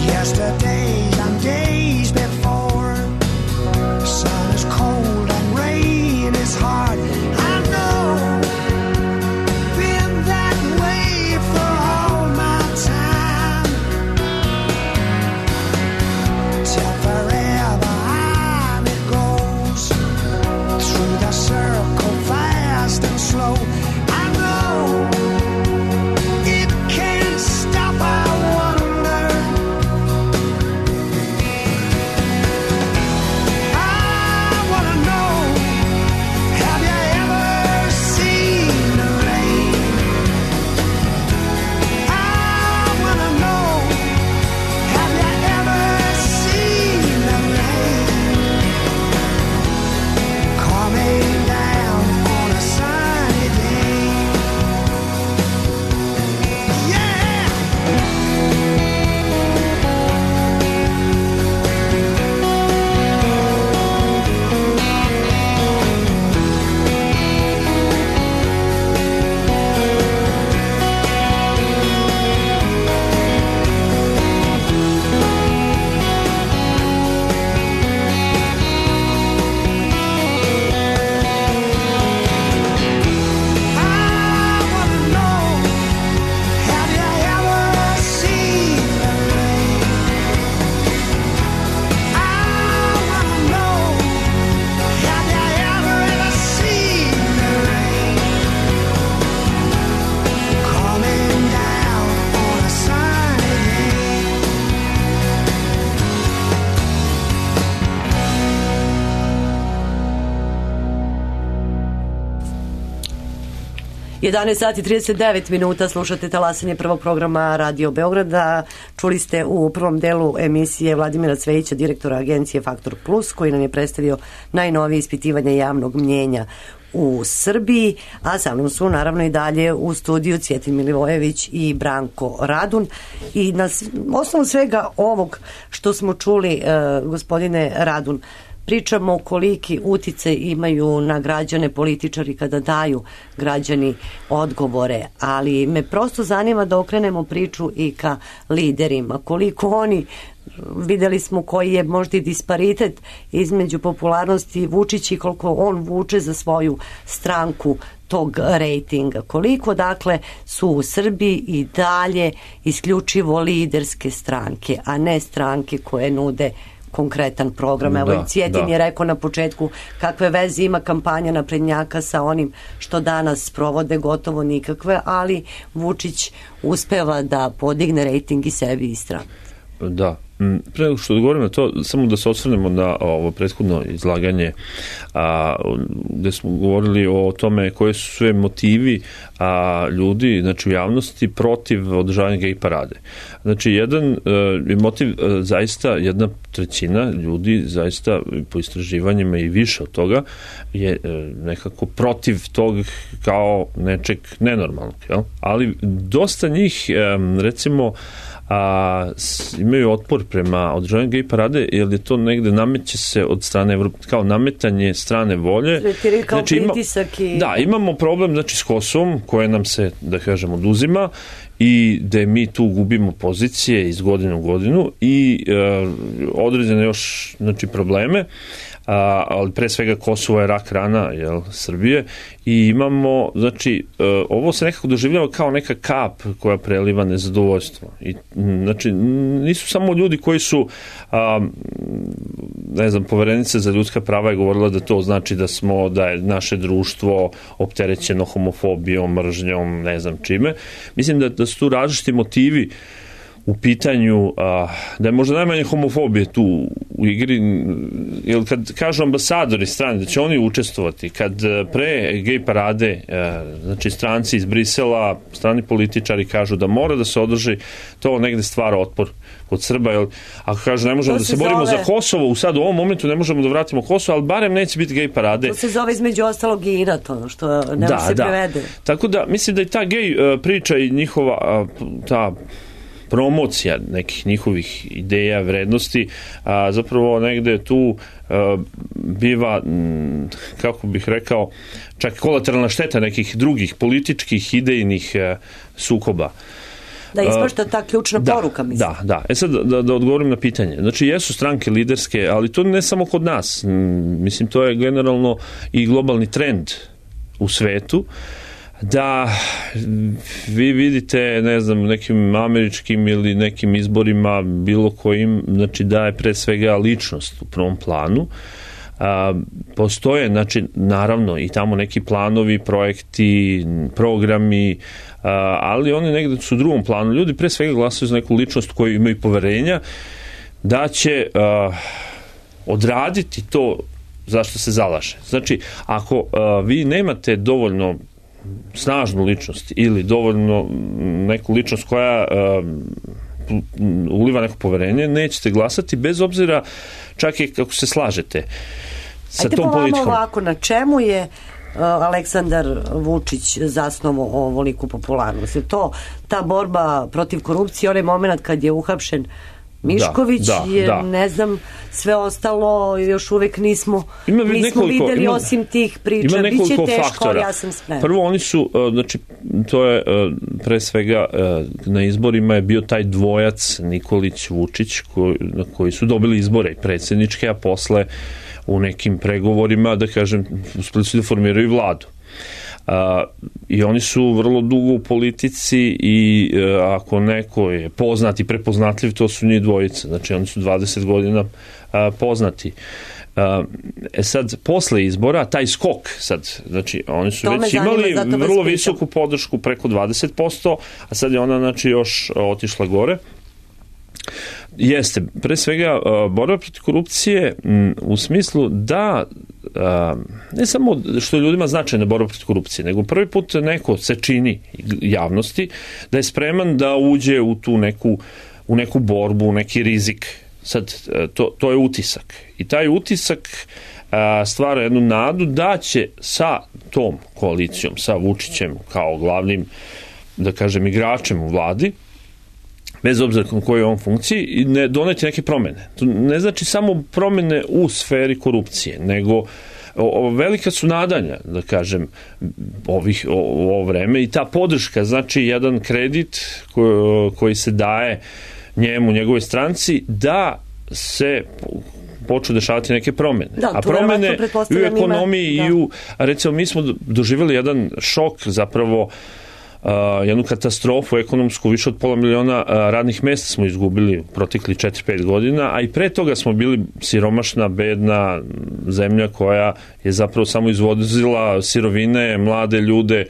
Yesterdays and days before, sun is cold and rain is hard. I know, been that way for all my time. Till forever on it goes, through the circle fast and slow. I know, it can't stop, I wonder. I wanna know, have you ever seen the rain? I wanna know, have you ever seen the rain? Coming down on a sunny day. Yeah! I wanna know, have you ever seen the rain? I wanna know, have you ever seen the rain? Coming down on a sunny day. 11 sati 39 minuta, slušate talasanje prvog programa Radio Beograda. Čuli ste u prvom delu emisije Vladimira Cvejića, direktora agencije Faktor Plus, koji nam je predstavio najnovije ispitivanje javnog mnjenja u Srbiji, a sa mnom su naravno i dalje u studiju Cvjetin Milivojević i Branko Radun. I na osnovu svega ovog što smo čuli, gospodine Radun, pričamo koliki uticaj imaju na građane političari kada daju građani odgovore, ali me prosto zanima da okrenemo priču i ka liderima. Koliko oni, videli smo koji je možda i disparitet između popularnosti Vučića i koliko on vuče za svoju stranku tog rejtinga. Koliko dakle su u Srbiji i dalje isključivo liderske stranke, a ne stranke koje nude konkretan program. Evo i Cvjetin je rekao na početku kakve veze ima kampanja naprednjaka sa onim što danas provode, gotovo nikakve, ali Vučić uspeva da podigne rejting i sebi i strani. Da. Pre nego što odgovorim na to, samo da se osvrnemo na ovo prethodno izlaganje gde smo govorili o tome koje su sve motivi ljudi, znači u javnosti, protiv održavanja gej parade. Znači, jedan je motiv zaista, 1/3 ljudi zaista po istraživanjima i više od toga je nekako protiv tog kao nečeg nenormalnog. Jel? Ali dosta njih, recimo, imaju otpor prema održavanju gej parade, jer je to negde nameće se od strane kao nametanje strane volje. Znači, imamo problem, znači, s Kosovom koje nam se, da kažem, oduzima i da mi tu gubimo pozicije iz godine u godinu i određene još, znači, probleme, ali pre svega Kosovo je rak rana, Srbije, i imamo, znači, ovo se nekako doživljava kao neka kap koja preliva nezadovoljstvo. I, znači, nisu samo ljudi koji su, ne znam, Poverenica za ljudska prava je govorila da to znači da je naše društvo opterećeno homofobijom, mržnjom, ne znam čime. Mislim da su tu različiti motivi u pitanju, da je možda najmanje homofobije tu u igri, jer kad kažu ambasadori strane da će oni učestvovati, kad pre gej parade, znači stranci iz Brisela, strani političari kažu da mora da se održi, to negde stvara otpor kod Srba, jer ako kažu ne možemo da se borimo za Kosovo, sad u ovom momentu ne možemo da vratimo Kosovo, ali barem neće biti gej parade. To se zove između ostalog i inat, ono što ne može se prevede. Tako da mislim da i ta gej priča i njihova ta promocija nekih njihovih ideja, vrednosti, zapravo negde tu biva, kako bih rekao, čak kolateralna šteta nekih drugih političkih, idejnih sukoba. Da ispašta ta ključna poruka, mislim. Da. Sad da odgovorim na pitanje. Znači, jesu stranke liderske, ali to ne samo kod nas. Mislim, to je generalno i globalni trend u svetu, da vi vidite, ne znam, nekim američkim ili nekim izborima bilo kojim, znači da je pre svega ličnost u prvom planu. Postoje, znači, naravno i tamo neki planovi, projekti, programi, ali oni negde su u drugom planu. Ljudi pre svega glasaju za neku ličnost koju imaju poverenja da će odraditi to zašto se zalaže. Znači, ako vi nemate dovoljno snažnu ličnost ili dovoljno neku ličnost koja uliva neko poverenje, nećete glasati bez obzira čak i kako se slažete sa tom politikom. Ajde ovako, na čemu je Aleksandar Vučić zasnovao ovoliku popularnost? Je to ta borba protiv korupcije, onaj moment kad je uhapšen Mišković, ne znam, sve ostalo još uvek nismo videli osim tih priča. Biće teško, ali ja sam spremna. Prvo, oni su, znači, to je pre svega na izborima je bio taj dvojac Nikolić-Vučić koji su dobili izbore i predsjedničke, a posle u nekim pregovorima, da kažem, uspeli su da formiraju vladu. I oni su vrlo dugo u politici i ako neko je poznat i prepoznatljiv, to su njih dvojica. Znači, oni su 20 godina poznati. Sad, posle izbora, taj skok sad, znači, oni su već imali vrlo visoku podršku, preko 20%, a sad je ona, znači, još otišla gore. Jeste, pre svega borba protiv korupcije u smislu da ne samo što je ljudima značajna borba protiv korupcije, nego prvi put neko se čini javnosti da je spreman da uđe u tu neku borbu, neki rizik. Sad, to je utisak. I taj utisak stvara jednu nadu da će sa tom koalicijom, sa Vučićem kao glavnim, da kažem, igračem u vladi, bez obzira na kojoj je on funkciji, doneti neke promene. To ne znači samo promene u sferi korupcije, nego velika su nadanja, da kažem, u ovo vreme i ta podrška, znači jedan kredit koji se daje njemu, njegovoj stranci, da se počnu dešavati neke promene. Da, a promene i u ekonomiji i u, recimo, mi smo doživjeli jedan šok, zapravo jednu katastrofu ekonomsku, više od 500.000 radnih mjesta smo izgubili protekli 4-5 godina, a i pre toga smo bili siromašna, bedna zemlja koja je zapravo samo izvozila sirovine, mlade ljude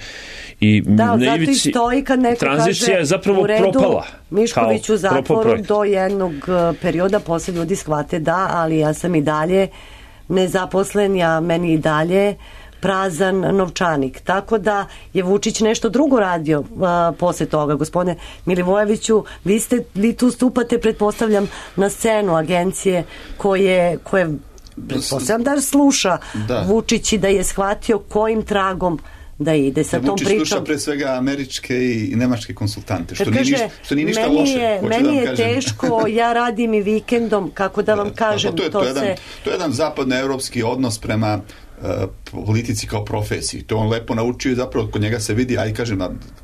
i da, zato i stoji kad neko tranzicija kaže je zapravo u redu, propala. Mišković u zatvoru do jednog perioda, poslije ljudi shvate da, ali ja sam i dalje nezaposlen, meni i dalje prazan novčanik. Tako da je Vučić nešto drugo radio posle toga. Gospodine Milivojeviću, vi tu stupate, pretpostavljam, na scenu agencije koje pretpostavljam da sluša Vučić i da je shvatio kojim tragom da ide sa tom pričom. Vučić sluša pre svega američke i nemačke konsultante, što nije ništa loše. Meni je teško, ja radim i vikendom, kako da vam kažem. To je jedan zapadnoevropski odnos prema politici kao profesiji. To on lepo naučio i zapravo kod njega se vidi,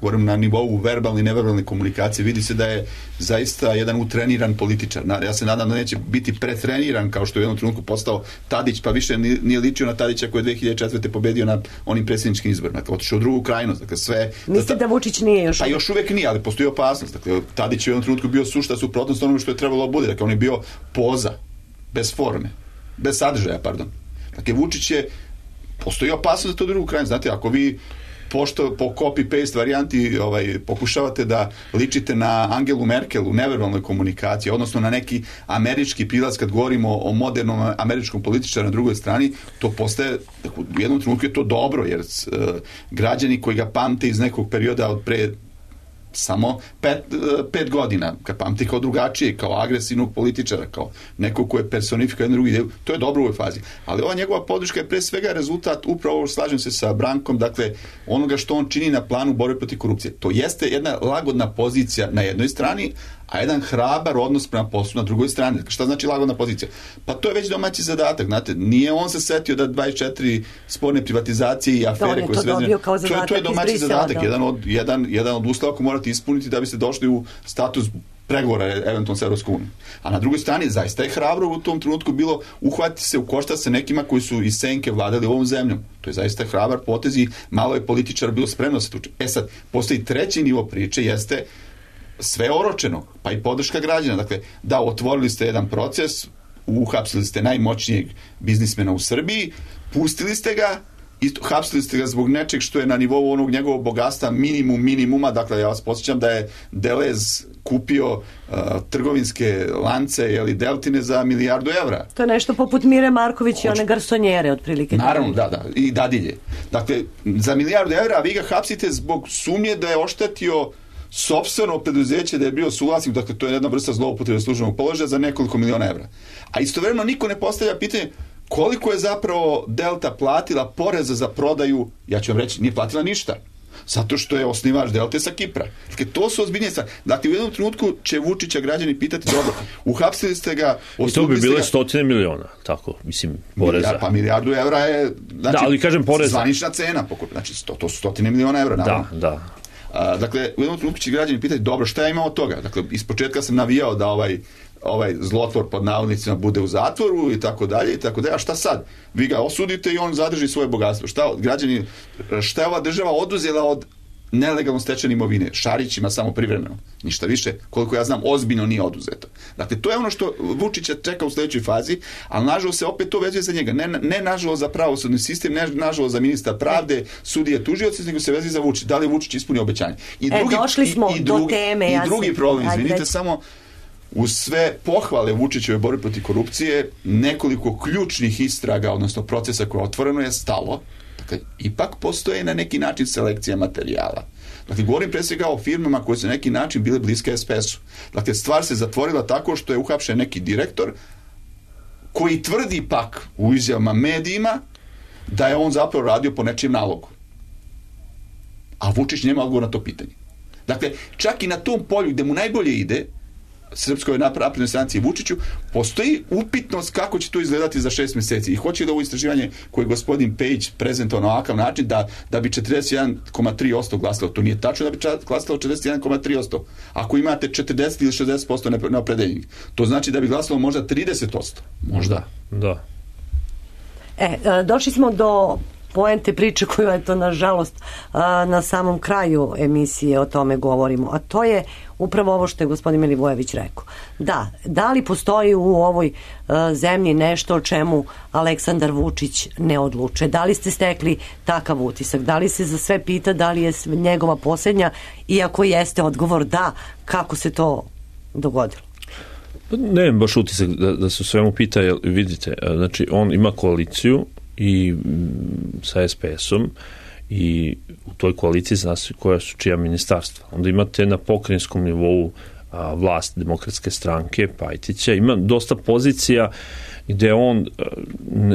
govorim na nivou verbalne i neverbalne komunikacije, vidi se da je zaista jedan utreniran političar. Ja se nadam da neće biti pretreniran kao što je u jednom trenutku postao Tadić, pa više nije ličio na Tadića koji je 2004. pobedio na onim predsjedničkim izborima. Dakle, otišao u drugu krajnost. Dakle, sve... Mislite da Vučić nije još? Pa još uvek nije, ali postoji opasnost. Dakle, Tadić je u jednom trenutku bio sušta suprotnost onome što je trebalo bude. Dakle, on je bio poza, bez forme, bez sadržaja, Dakle, Vučić je, postoji opasnost za to drugu krajinu. Znate, ako vi po copy-paste varijanti pokušavate da ličite na Angelu Merkel u neverbalnoj komunikaciji, odnosno na neki američki pilac kad govorimo o modernom američkom političaru na drugoj strani, to postaje, u jednom trenutku je to dobro, jer građani koji ga pamte iz nekog perioda od pre samo 5 godina, kad pamti kao drugačije, kao agresivnog političara, kao nekog ko je personifikao jednu drugu ideju, to je dobro u ovoj fazi. Ali ova njegova podrška je pre svega rezultat, upravo slažem se sa Brankom, dakle, onoga što on čini na planu borbe protiv korupcije. To jeste jedna lagodna pozicija na jednoj strani, a jedan hrabar odnos prema poslu na drugoj strani. Dakle, šta znači lagodna pozicija? Pa to je već domaći zadatak, znate, nije on se setio da 24 sporne privatizacije i afere koje se vezane. To je domaći zadatak, jedan od uslova koji morate ispuniti da biste došli u status pregovora eventualno s Evropskom unijom. A na drugoj strani zaista je hrabro u tom trenutku bilo uhvatiti se u koštac sa nekima koji su iz senke vladali ovom zemljom. To je zaista hrabar potez i malo je političara bilo spremno se tuče. Sad, postoji treći nivo priče, jeste sve oročeno, pa i podrška građana. Dakle, da, otvorili ste jedan proces, uhapsili ste najmoćnijeg biznismena u Srbiji, pustili ste ga, hapsili ste ga zbog nečeg što je na nivou onog njegovog bogatstva minimuma. Dakle, ja vas podsjećam da je Delez kupio trgovinske lance, Deltine za €1.000.000. To je nešto poput Mire Marković i one garsonjere, otprilike. Naravno, da, i dadilje. Dakle, za €1.000.000, a vi ga hapsite zbog sumnje da je oštetio sopstveno preduzeće, da je bio suvlasnik, dakle to je jedna vrsta zloupotrebe službenog položaja za nekoliko miliona evra. A istovremeno niko ne postavlja pitanje koliko je zapravo Delta platila poreza za prodaju, ja ću vam reći, nije platila ništa. Zato što je osnivač Delte sa Kipra. Dakle, to su ozbiljnije stvari. Dakle, u jednom trenutku će Vučića građani pitati, dobro, uhapsili ste ga, i to bi bile 100 miliona, tako, mislim, poreza. Pa €1.000.000 je, znači, da, ali kažem poreza. Zvanična cena, znači, to su 100 miliona evra, naravno. Da. Dakle, u jednom trenutku će građani pitati, dobro, šta ja imam od toga? Dakle, ispočetka sam navijao da ovaj zlotvor pod navodnicima bude u zatvoru i tako dalje, a šta sad? Vi ga osudite i on zadrži svoje bogatstvo. Šta je ova država oduzela od nelegalno stečene imovine? Šarićima samo privremeno. Ništa više, koliko ja znam, ozbiljno nije oduzeto. Dakle, to je ono što Vučića čeka u sljedećoj fazi, ali nažalost se opet to vezuje za njega. Ne nažalost za pravosudni sistem, ne nažalost za ministra pravde, sudije, tužioci, nego se vezuje za Vučića. Da li Vučić ispunio obećanje? Došli smo do teme. I drugi problem, izvinite, samo uz sve pohvale Vučićeve borbe protiv korupcije, nekoliko ključnih istraga, odnosno procesa koje je otvoreno, je stalo. Dakle, ipak postoje na neki način selekcija materijala. Dakle, govorim pre svega o firmama koje su na neki način bile bliske SPS-u. Dakle, stvar se zatvorila tako što je uhapšen neki direktor koji tvrdi pak u izjavama medijima da je on zapravo radio po nečijem nalogu. A Vučić nema odgovor na to pitanje. Dakle, čak i na tom polju gde mu najbolje ide, Srpskoj naprednoj stranci i Vučiću, postoji upitnost kako će to izgledati za 6 meseci. I hoće da ovo istraživanje koje je gospodin Pejić prezentovao na ovakav način da bi 41,3% glasalo. To nije tačno da bi glasalo 41,3%. Ako imate 40 ili 60% neopredeljenih, to znači da bi glasalo možda 30%. Možda. Da. Došli smo do poente priče koju je to nažalost na samom kraju emisije o tome govorimo, a to je upravo ovo što je gospodin Milivojević rekao. Da li postoji u ovoj zemlji nešto o čemu Aleksandar Vučić ne odluče? Da li ste stekli takav utisak? Da li se za sve pita da li je njegova posljednja, iako jeste odgovor da, kako se to dogodilo? Ne, baš utisak da se svemu pita, jer vidite, znači on ima koaliciju i sa SPS-om i u toj koaliciji zna se koja su čija ministarstva. Onda imate na pokrajinskom nivou vlast Demokratske stranke, Pajtića, ima dosta pozicija gde on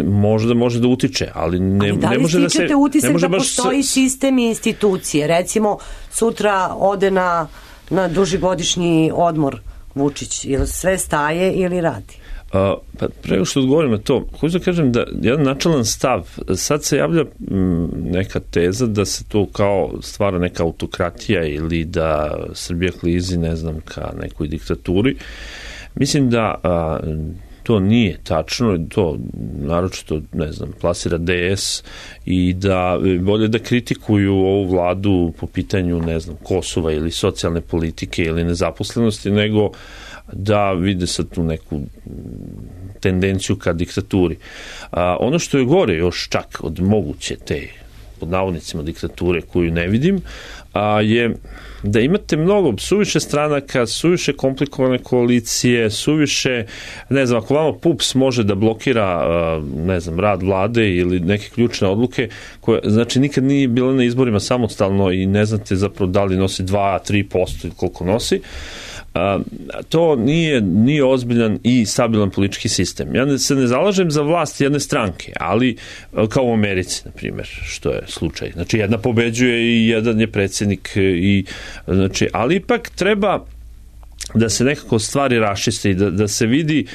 možda može da utiče, ali ne može da se... Ali da li stičete utisak da postoji sistem i institucije? Recimo, sutra ode na dužigodišnji odmor Vučić, ili sve staje ili radi? Pa prego što odgovorim na to, hoću da kažem da jedan načelan stav, sad se javlja neka teza da se to kao stvara neka autokratija ili da Srbija klizi, ne znam, ka nekoj diktaturi. Mislim da to nije tačno, to naročito, ne znam, plasira DS i da bolje da kritikuju ovu vladu po pitanju, ne znam, Kosova ili socijalne politike ili nezaposlenosti, nego da vide sad tu neku tendenciju ka diktaturi. Ono što je gore još čak od moguće te, pod navodnicima, diktature koju ne vidim, je da imate mnogo suviše stranaka, suviše komplikovane koalicije, suviše, ne znam, ako vama PUPS može da blokira, ne znam, rad vlade ili neke ključne odluke, koje, znači, nikad nije bila na izborima samostalno i ne znate zapravo da li nosi 2-3% ili koliko nosi, to nije ozbiljan i stabilan politički sistem. Ja se ne zalažem za vlast jedne stranke, ali kao u Americi, na primjer, što je slučaj. Znači, jedna pobeđuje i jedan je predsjednik, znači, ali ipak treba da se nekako stvari raščiste i da se vidi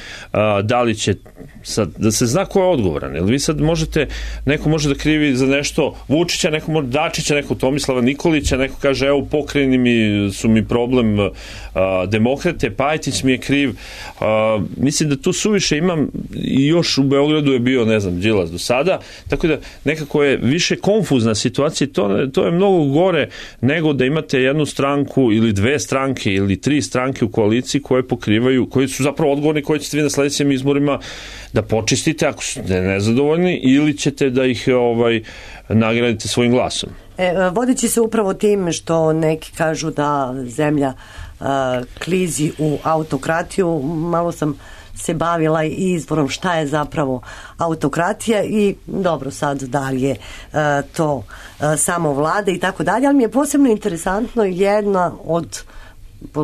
da li će sad, da se zna ko je odgovoran. Jer vi sad možete, neko može da krivi za nešto Vučića, neko može Dačića, neko Tomislava Nikolića, neko kaže evo u pokrajini su mi problem demokrate, Pajtić mi je kriv. Mislim da tu suviše imam i još u Beogradu je bio, ne znam, Đilas do sada, tako da nekako je više konfuzna situacija, to je mnogo gore nego da imate jednu stranku ili dve stranke ili tri stranke u koaliciji koje pokrivaju, koji su zapravo odgovorni, koji ćete vi na sledećim izborima da počistite ako su nezadovoljni ili ćete da ih nagradite svojim glasom. Vodeći se upravo tim što neki kažu da zemlja klizi u autokratiju, malo sam se bavila i izborom šta je zapravo autokratija i dobro sad da li je to samo vlada i tako dalje, ali mi je posebno interesantno jedna od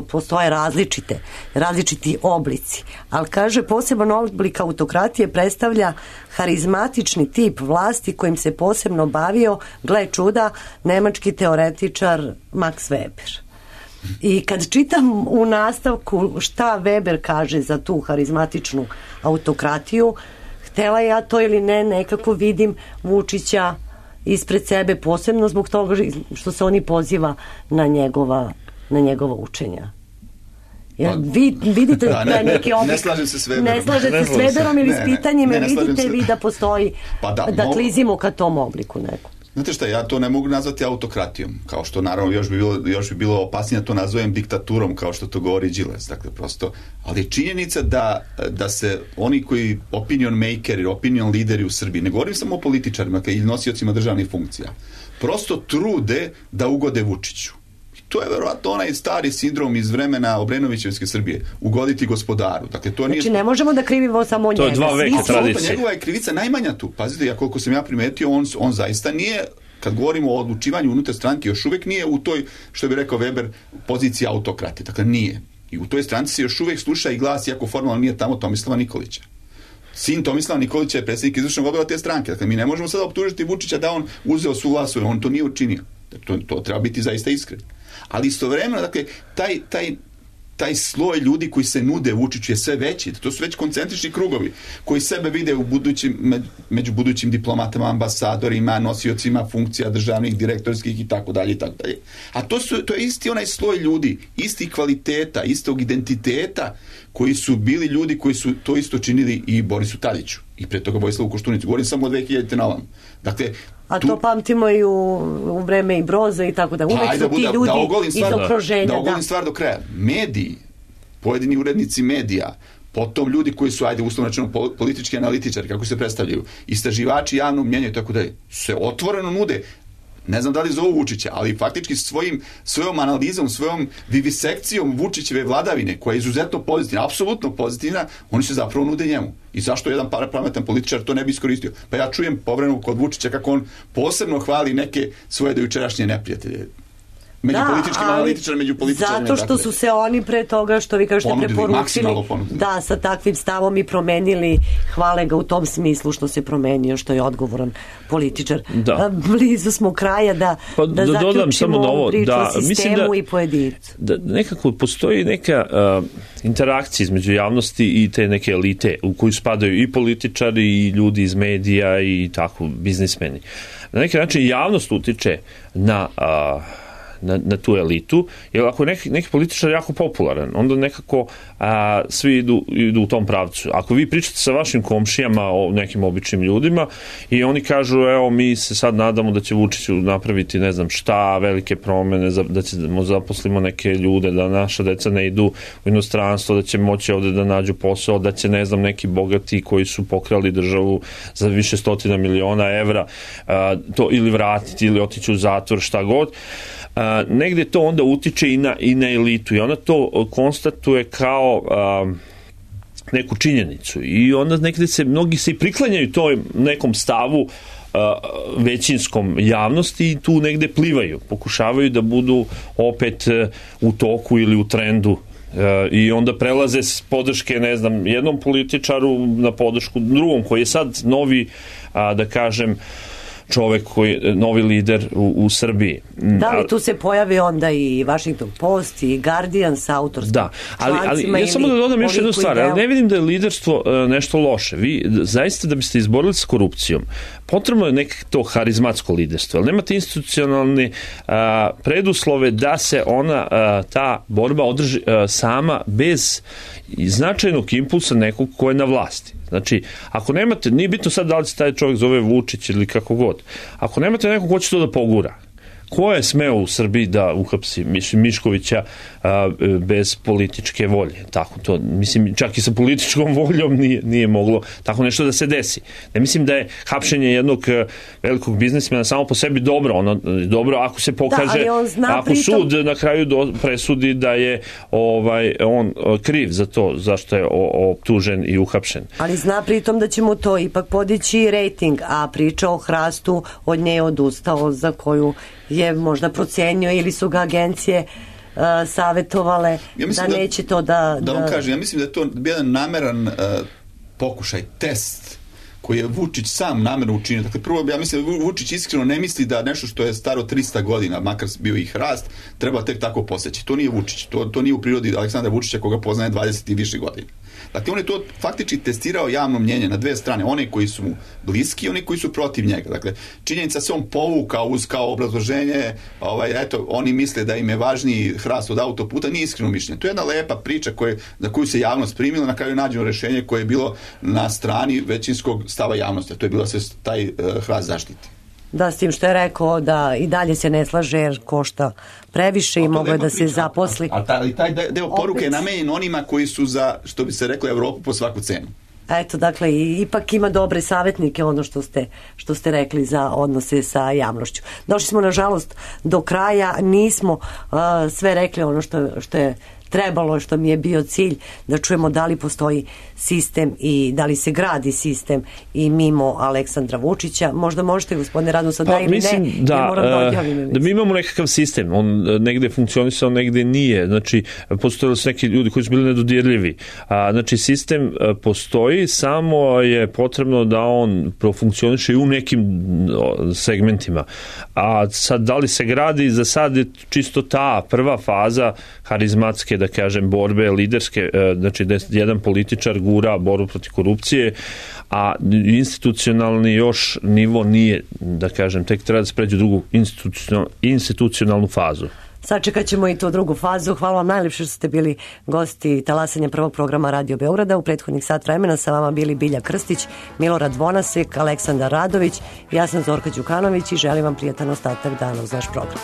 postoje različiti oblici, ali kaže poseban oblik autokratije predstavlja harizmatični tip vlasti kojim se posebno bavio, gle čuda, nemački teoretičar Max Weber. I kad čitam u nastavku šta Weber kaže za tu harizmatičnu autokratiju, htela ja to ili ne, nekako vidim Vučića ispred sebe, posebno zbog toga što se oni poziva na njegova učenja. Vi vidite da je neki oblik... Ne slažem se s Weberom. Ne slažete s Weberom ili s pitanjima, vidite vi da postoji, da klizimo ka tom obliku neku. Znate šta, ja to ne mogu nazvati autokratijom, kao što naravno još bi bilo opasnije to nazovem diktaturom, kao što to govori Đilas, dakle prosto, ali činjenica da se oni koji opinion makeri, opinion lideri u Srbiji, ne govorim samo o političarima ili nosiocima državnih funkcija, prosto trude da ugode Vučiću. To je verovatno onaj stari sindrom iz vremena Obrenovićevske Srbije, ugoditi gospodaru. Dakle, to nije... Znači, ne možemo da krivimo samo njega. To je 2 veka tradicije. Njegova je krivica najmanja tu. Pazite, ja koliko sam ja primetio, on zaista nije, kad govorimo o odlučivanju unutar stranke, još uvek nije u toj, što bi rekao Weber, poziciji autokrate. Dakle, nije. I u toj stranci se još uvek sluša i glas, iako formalno nije tamo Tomislava Nikolića. sin Tomislava Nikolića je predsjednik izvršnog odbora te stranke. Dakle, mi ne možemo sada optužiti Vučića da on uzeo svu vlast, on to nije učinio. To treba biti zaista iskren. Ali istovremeno, dakle, taj sloj ljudi koji se nude Vučiću je sve veći. To su već koncentrični krugovi koji sebe vide među budućim diplomatama, ambasadorima, nosiocima funkcija državnih, direktorskih i tako dalje. A to je isti onaj sloj ljudi, isti kvaliteta, istog identiteta koji su bili ljudi koji su to isto činili i Borisu Tadiću i pre toga Vojislavu Koštunicu. Govorim samo o 2000. na ovom. Dakle, a to pamtimo i u vreme i Broza i tako da. Uvek su ti ljudi iz okruženja. Da ogolim stvar do kraja. Mediji, pojedini urednici medija, potom ljudi koji su, uslovno rečeno, politički analitičari, kako se predstavljaju, istraživači javnog mnjenja i tako dalje, se otvoreno nude. Ne znam da li zovu Vučića, ali faktički svojom analizom, svojom vivisekcijom Vučićeve vladavine, koja je izuzetno pozitivna, apsolutno pozitivna, oni se zapravo nude njemu. I zašto jedan pametan političar to ne bi iskoristio? Pa ja čujem povremeno kod Vučića kako on posebno hvali neke svoje dojučerašnje neprijatelje. Među političkim analitičarima, među političarima. Zato što su se oni pre toga, što vi kažete, preporučili, da, sa takvim stavom i promenili, hvale ga u tom smislu što se promenio, što je odgovoran političar. Blizu smo kraja da zaključimo ovu priču o sistemu i pojedincu. Da nekako postoji neka interakcija između javnosti i te neke elite u koju spadaju i političari i ljudi iz medija i tako biznismeni. Na neki način javnost utiče na tu elitu, jer ako je neki političar jako popularan, onda nekako svi idu u tom pravcu. Ako vi pričate sa vašim komšijama o nekim običnim ljudima i oni kažu, evo, mi se sad nadamo da će Vučić napraviti ne znam šta, velike promene, da ćemo zaposlimo neke ljude, da naša deca ne idu u inostranstvo, da će moći ovde da nađu posao, da će, ne znam, neki bogati koji su pokrali državu za više stotina miliona evra to ili vratiti ili otići u zatvor, šta god. Negde to onda utiče i na elitu i ona to konstatuje kao neku činjenicu i onda negde mnogi se i priklanjaju toj nekom stavu većinskom javnosti i tu negde plivaju, pokušavaju da budu opet u toku ili u trendu i onda prelaze s podrške, ne znam, jednom političaru na podršku drugom koji je sad novi, da kažem, čovek koji je novi lider u Srbiji. Da li tu se pojavi onda i Washington Post i Guardian sa autorskim člancima? Ali ja samo da dodam još jednu stvar, ali ne vidim da je liderstvo nešto loše. Vi zaista da biste izborili s korupcijom, potrebno je nekako to harizmatsko liderstvo, ali nemate institucionalne preduslove da se ta borba održi sama bez značajnog impulsa nekog ko je na vlasti. Znači, ako nemate, nije bitno sad da li se taj čovjek zove Vučić ili kako god, ako nemate nekog ko će to da pogura, ko je smeo u Srbiji da uhapsi Miškovića bez političke volje? Tako to, mislim, čak i sa političkom voljom nije moglo tako nešto da se desi. Ne mislim da je hapšenje jednog velikog biznismena samo po sebi dobro. Dobro ako se pokaže, ako sud na kraju presudi da je on kriv za to zašto je optužen i uhapšen. Ali zna pritom da će mu to ipak podići rejting, a priča o Hrastu od nje odustao, za koju je možda procenio ili su ga agencije savjetovale da neće to da vam kažem, ja mislim da je to jedan nameran pokušaj, test koji je Vučić sam namerno učinio. Dakle, prvo, ja mislim da Vučić iskreno ne misli da nešto što je staro 300 godina, makar bio i Hrast, treba tek tako poseći. To nije Vučić, to nije u prirodi Aleksandra Vučića koga poznaje 20 i više godina. Dakle, on je to faktički testirao javno mnjenje na dve strane, one koji su mu bliski i oni koji su protiv njega. Dakle, činjenica se on povukao uz kao obrazloženje, eto, oni misle da im je važniji Hrast od autoputa, nije iskreno mišljenje. To je jedna lepa priča za koju se javnost primila, na kraju nađeno rešenje koje je bilo na strani većinskog stava javnosti, to je bilo da se taj Hrast zaštiti. Da, s tim što je rekao da i dalje se ne slaže jer košta previše i mogo je da se zaposli. Ali taj deo poruke je namenjen onima koji su za, što bi se reklo, Evropu po svaku cenu. Eto, dakle, ipak ima dobre savjetnike, ono što ste rekli za odnose sa javnošću. Došli smo, nažalost, do kraja, nismo sve rekli ono što je trebalo je, što mi je bio cilj, da čujemo da li postoji sistem i da li se gradi sistem i mimo Aleksandra Vučića. Možda možete, gospodine Radoslav, da ili mislim, ne, ja moram da odjavim. Da mi imamo nekakav sistem, on negde funkcionisao, negde nije. Znači, postojali su neki ljudi koji su bili nedodirljivi. Znači, sistem postoji, samo je potrebno da on profunkcioniše i u nekim segmentima. A sad, da li se gradi, za sad je čisto ta prva faza harizmatske, da kažem, borbe, liderske, znači da jedan političar gura borbu protiv korupcije, a institucionalni još nivo nije, da kažem, tek treba da se pređe u drugu institucionalnu fazu. Sačekat ćemo i tu drugu fazu. Hvala vam najljepše što ste bili gosti talasanja prvog programa Radio Beograda. U prethodnih sat vremena sa vama bili Bilja Krstić, Milorad Vonasek, Aleksandar Radović, ja sam Zorka Đukanović i želim vam prijatan ostatak dana uz naš program.